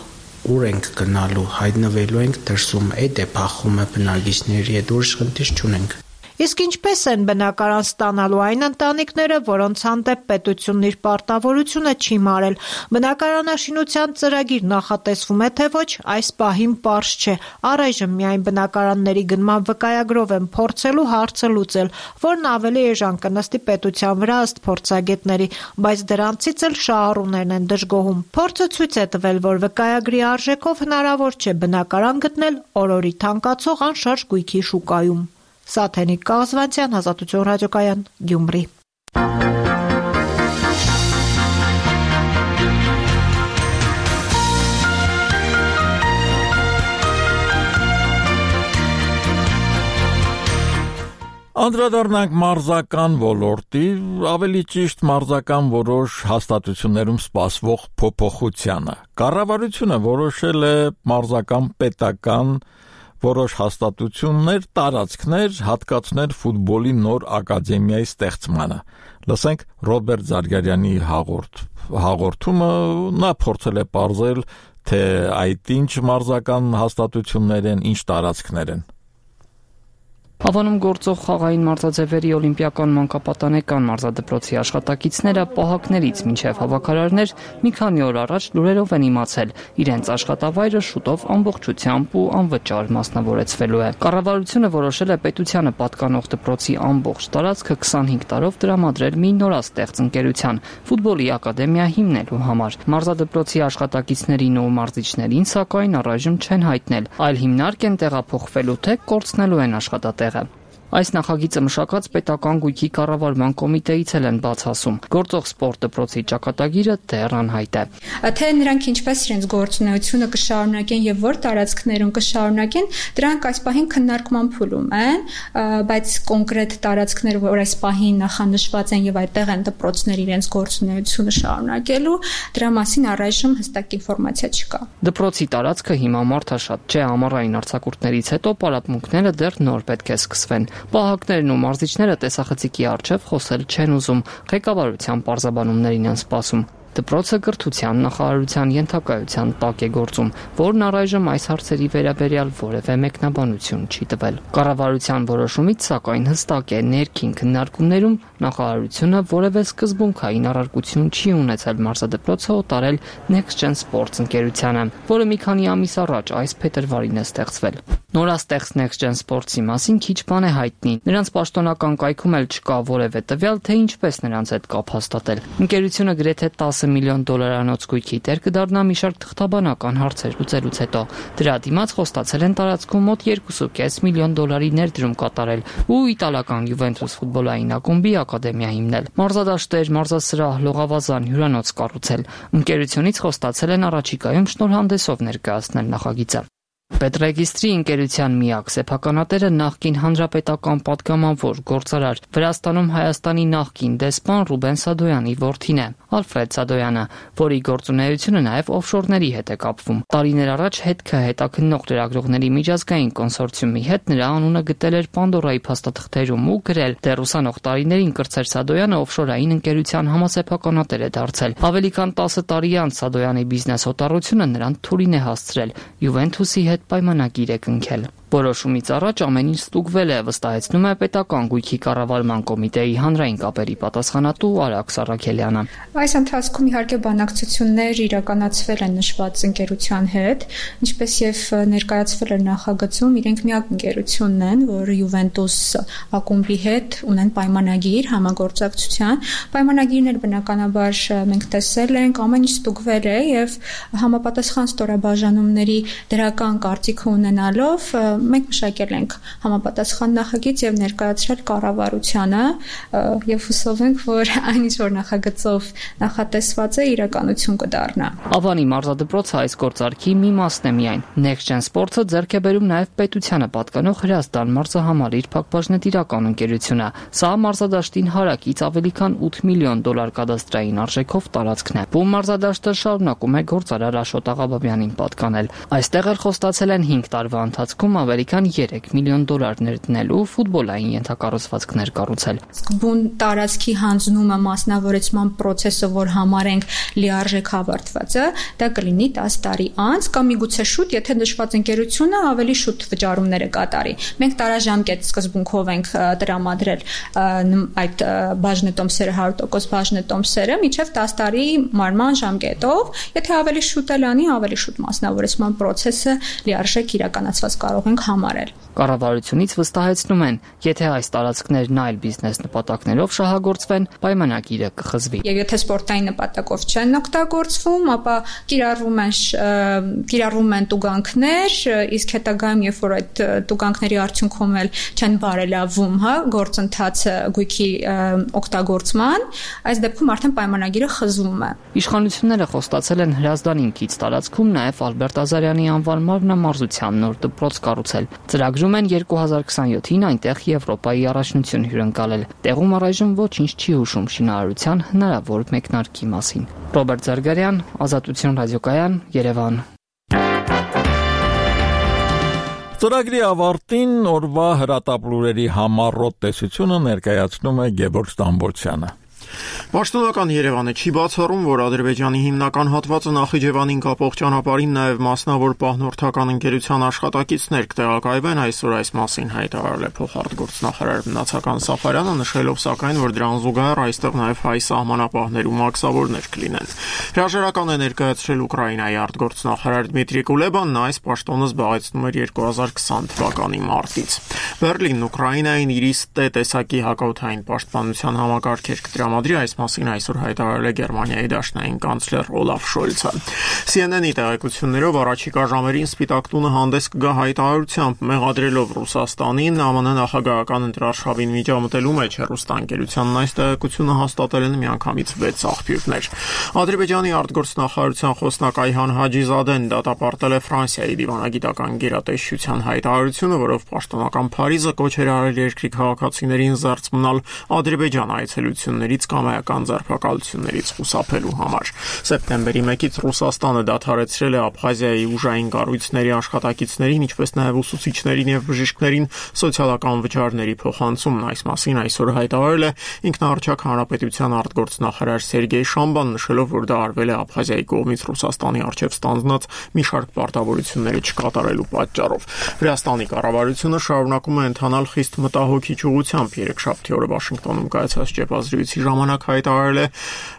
ուր ենք գնալու, հայտնվելու ենք դրսում, այդ է փախումը բնակիչների հետ, ուրիշ խնդիր չունենք։ Իսկ ինչպես են բնակարան ստանալու այն ընտանիքները, որոնց հանդեպ պետությունն իր պարտավորությունը չի մարել։ Բնակարանաշինության ծրագիր նախատեսվում է, թե ոչ, այս պահին պարզ չէ։ Առայժմ միայն բնակարանների գնման վկայագրով են փորձելու հարցը լուծել, որն ավելի էժան կնստի պետության վրա ըստ փորձագետների, բայց դրանցից էլ շահառուներն են դժգոհում։ Փորձը ցույց է տվել, որ վկայագրի արժեքով հնարավոր չէ բնակարան գտնել օրորի թանկացող անշարժ գույքի շուկայում։ Սաթենիկ Կազվանցյան, Ազատություն ռադիոկայան, Գյումրի։ Անդրադառնանք մարզական ոլորտի, ավելի ճիշտ մարզական որոշ հաստատություններում սպասվող փոփոխությանը։ Կառավարությունը որոշել է մարզական պետական որոշ հաստատություններ, տարածքներ հատկացնել ֆուտբոլի նոր ակադեմիայի ստեղծմանը։ Լսենք Ռոբերտ Զարգարյանի հաղորդումը, նա փորձել է պարզել, թե այդ ինչ մարզական հաստատություններ են, ինչ տարածքներ են։ Հավանում գործող խաղային մարզաձևերի օլիմպիական մանկապատանեկան մարզադպրոցի աշխատակիցները պահակներից մինչև հավաքարարներ մի քանի օր առաջ լուրերով են իմացել, իրենց աշխատավայրը շուտով ամբողջությամբ ու անվճար մասնավորեցվելու է։ Կառավարությունը որոշել է պետությանը պատկանող դպրոցի ամբողջ տարածքը 25 տարով տրամադրել մի նորաստեղծ ընկերության՝ ֆուտբոլի ակադեմիա հիմնելու համար։ Մարզադպրոցի աշխատակիցներին ու մարզիչներին սակայն առայժմ չեն հայտնել, այլ հիմնարկ են տեղափոխվելու, թե կորցնելու են աշխատատեղը։ Այս նախագիծը մշակած պետական գույքի կառավարման կոմիտեից են բաց ասում։ Գործող սպորտ դպրոցի ճակատագիրը դեռ անհայտ է։ Թե նրանք ինչպես իրենց գործունեությունը կշարունակեն եւ որ տարածքներում կշարունակեն, դրանք այս պահին քննարկման փուլում են, բայց կոնկրետ տարածքներ, որ այս պահին նախանշված են եւ այդտեղ են դպրոցներ իրենց գործունեությունը շարունակելու, դրա մասին առայժմ հստակ ինֆորմացիա չկա։ Դպրոցի տարածքը հիմա մարդաշատ չէ, ամառային արձակուրդներից հետո պարապմունքները դեռ նոր պետք է սկսվեն։ Պահակներն ու մարզիչները տեսախցիկի առջև խոսել չեն ուզում, ղեկավարության պարզաբանումներին են սպասում։ Դպրոցը կրթության նախարարության ենթակայության տակ է գործում, որն առայժմ այս հարցերի վերաբերյալ որևէ մեկնաբանություն չի տվել։ Կառավարության որոշումից, սակայն, հստակ է, ներքին քննարկումներում նախարարությունը որևէ սկզբունքային առարկություն չի ունեցել մարզադպրոցը օտարել Next Gen Sports ընկերությանը, որը մի քանի ամիս առաջ այս փետրվարին է ստեղծվել։ Նորաստեղծ Next Gen Sports-ի մասին քիչ բան է հայտնի։ Նրանց պաշտոնական կայքում էլ չկա որևէ տվյալ, թե ինչպես նրանց հետ կապ հաստատել։ Ընկերությունը գրեթե $10 միլիոն գույքի տեր կդառնա մի շարք թղթաբանական հարցեր լուծելուց հետո։ Դրա դիմաց խոստացել են տարածքում մոտ $2.5 միլիոն ներդրում կատարել ու իտալական Juventus ֆուտբոլային ակումբի ակադեմիա հիմնել։ Մարզադաշտեր, մարզասրահ, լողավազան, հյուրանոց կառուցել։ Ընկերությունից խոստացել են առաջիկայում շնորհանդեսով ներկայացնել նախագիծը։ Պետրեգիստրի ընկերության միակ սեփականատերը նախկին հանրապետական պատգամավոր գործարար Վրաստանում Հայաստանի նախկին դեսպան Ռուբեն Սադոյանի որդին է, Ալֆրեդ Սադոյանը, որի գործունեությունը նաև օֆշորների հետ է կապվում։ Տարիներ առաջ հետքը հետաքննող լրագրողների միջազգային կոնսորցիումի հետ նրա անունը գտել էր Պանդորայի փաստաթղթերում ու գրել, թե ռուսանող տարիներին Կրծեր Սադոյանը օֆշորային ընկերության համասեփականատեր է դարձել։ Ավելի քան 10 տարի անց Սադոյանի բիզնես օտարությունը նրան թուրին է հասցրել Juventus-ի հետ պայմանագիր է կնքել։ Որոշումից առաջ ամեն ինչ ստուգվել է, վստահեցնում է պետական գույքի կառավարման կոմիտեի հանրային կապերի պատասխանատու Արաքս Արաքելյանը։ Այս ընթացքում իհարկե բանակցություններ իրականացվել են նշված ընկերության հետ, ինչպես եւ ներկայացվել էր նախագծում, իրենք միակ ընկերությունն են, որը Juventus ակումբի հետ ունեն պայմանագիր համագործակցության։ Պայմանագիրն էլ բնականաբար մենք տեսել ենք, ամեն ինչ ստուգվել է եւ համապատասխան ստորաբաժանումների դրական կարծիք ունենալով մենք մշակել ենք համապատասխան նախագիծ եւ ներկայացրել կառավարությանը եւ հուսով ենք, որ այն ինչ որ նախագծով նախատեսված է իրականություն կդառնա։ Ավանի մարզադպրոցը այս գործարքի մի մասն է միայն։ Next Gen Sports-ը ձեռք է բերում նաեւ պետությանը պատկանող Հրազդան մարզահամարի իր փակbaşնետիրական ընկերությունը։ Սա մարզադաշտին հարակից ավելի քան $8 միլիոն կադաստրային արժեքով տարածքն է։ Բու մարզադաշտը շարունակում է գործարար Աշոտ Աղաբաբյանին պատկանել։ Այստեղ էլ խոստացել են 5 տարվա ընթացքում ավելի քան $3 միլիոն դնելու ֆուտբոլային ենթակառուցվածքներ կառուցել։ Սկզբուն տարածքի հանձնումը մասնավորեցման process-ը, որ համարենք լիարժեք ավարտվածը, դա կլինի 10 տարի անց կամ միգուցե շուտ, եթե նշված ընկերությունը ավելի շուտ վճարումները կատարի։ Մենք տարաժամկետ սկզբունքով ենք տրամադրել այդ բաժնետոմսերը 100% բաժնետոմսերը մինչև 10 տարի մարման ժամկետով, եթե ավելի շուտ էլ անի, ավելի շուտ մասնավորեցման process-ը լիարժեք իրականացված կարող ենք համարել։ Կառավարությունից վստահեցնում են, եթե այս տարածքներն այլ բիզնես նպատակներով շահագործվեն, պայմանագիրը կխզվի։ Եվ եթե սպորտային նպատակով չեն օգտագործվում, ապա կիրառվում են տուգանքներ, իսկ հետագայում, երբ որ այդ տուգանքների արդյունքում էլ չեն բարելավում, գործընթացը գույքի օգտագործման, այս դեպքում արդեն պայմանագիրը խզվում է։ Իշխանությունները խոստացել են Հրազդանին կից տարածքում նաև Ալբերտ Ազարյանի անվան մարմնամարզության նոր դպրոց կառուցել։ Ծրագրում են 2027-ին այնտեղ Եվրոպայի առաջնություն հյուրընկալել։ Տեղում առայժմ ոչինչ չի հուշում շինարարության հնարավոր մեկնարկի մասին։ Ռոբերտ Զարգարյան, Ազատություն ռադիոկայան, Երևան։ Ծրագրի ավարտին օրվա հրատապլուրերի համառոտ տեսությունը ներկայացնում է Գևորգ Ստամբոլցյանը։ Պաշտոնական Երևանը չի բացառում, որ Ադրբեջանի հիմնական հատվածը Նախիջևանին կապող ճանապարհին նաև մասնավոր պահնորդական ընկերության աշխատակիցներ կտեղակայվեն, այսօր այս մասին հայտարարել է փոխարտգործնախարար Մնացական Սաֆարյանը, նշելով սակայն, որ դրան զուգահեռ այստեղ նաև հայ սահմանապահներու մաքսավորներ կլինեն։ Հրաժարական է ներկայացրել Ուկրաինայի արտգործնախարար Դմիտրի Կուլեբան, նա այս պաշտոնը զբաղեցնում էր 2020 թվականի մարտից։ Բերլինն Ուկրաինային իր տեսակի հակաօդային պաշտպանության համակարգեր կտրամադրի, այս մասին այսօր հայտարարել է Գերմանիայի դաշնային կանցլեր Օլաֆ Շոլցը։ CNN-ի տեղեկություններով առաջիկա ժամերին Սպիտակ տունը հանդես կգա հայտարարությամբ, մեղադրելով Ռուսաստանին ԱՄՆ նախագահական ընտրարշավին միջամտելու մեջ հեռուստաընկերությանն այս տեղեկությունը հաստատել են միանգամից 6 աղբյուրներ։ Ադրբեջանի արտգործնախարարության խոսնակ Այհան Հաջիզադեն դատապարտել է Ֆրանսիայի դիվանագիտական գերատեսչության հայտարարությունը, որով պաշտոնական Փարիզը կոչ էր արել երկրի քաղաքացիներին զերծ մնալ Ադրբեջան այցելություններից կողմից կամայական ձերբակալություններից խուսափելու համար։ Սեպտեմբերի 1-ից Ռուսաստանը դադարեցրել է Աբխազիայի ուժային կառույցների աշխատակիցներին, ինչպես նաև ուսուցիչներին եւ բժիշկներին սոցիալական վճարների փոխանցումն։ Այս մասին այսօր հայտարարել է ինքնաառաջակ հանրապետության արտգործնախարար Սերգեյ Շամբան, նշելով, որ դա արվել է Աբխազիայի կողմից Ռուսաստանի առջև ստանձնած մի շարք պարտավորությունների չկատարելու պատճառով։ Վրաստանի կառավարությունը շարունակում է ընթանալ խիստ մտահոգիչ ուղղությամբ։ Երեքշաբթի օրը Վաշինգտոնում կայացած ճեպազրույցի ժամանակ հայտարարել է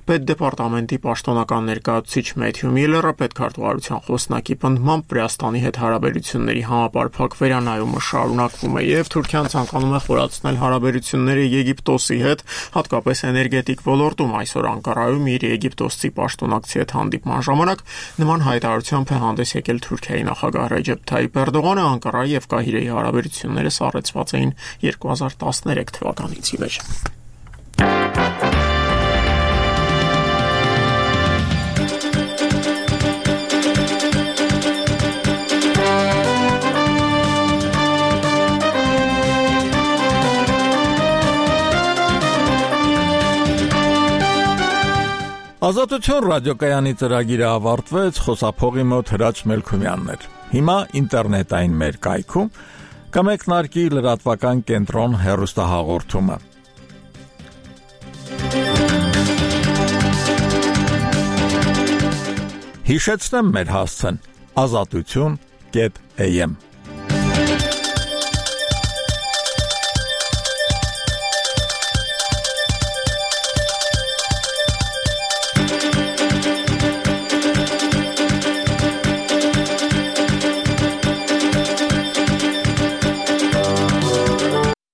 Պետդեպարտամենտի պաշտոնական ներկայացուցիչ Մեթյու Միլլերը, պետքարտուղարության խոսնակի պնդմամբ Վրաստանի հետ հարաբերությունների համապարփակ վերանայումը շարունակվում է եւ Թուրքիան ցանկանում է խորացնել հարաբերությունները Եգիպտոսի հետ, հատկապես էներգետիկ ոլորտում։ Այսօր Անկարայում իր եգիպտոսցի պաշտոնակցի հետ հանդիպման ժամանակ նման հայտարարությամբ է հանդես եկել Թուրքիայի նախագահ Ռեջեփ Թայիփ Էրդողանը։ Անկարայի եւ Կահիրեի հարաբերությունները սառեցված էին 2013 թվականից ի վեր։ Ազատություն ռադիոկայանի ծրագիրը ավարտվեց, խոսափողի մոտ Հրաչ Մելքումյանն էր։ Հիմա ինտերնետային մեր կայքում կմեկնարկի լրատվական կենտրոն հեռուստահաղորդումը։ Հիշեցնեմ մեր հասցեն՝ azatutun.am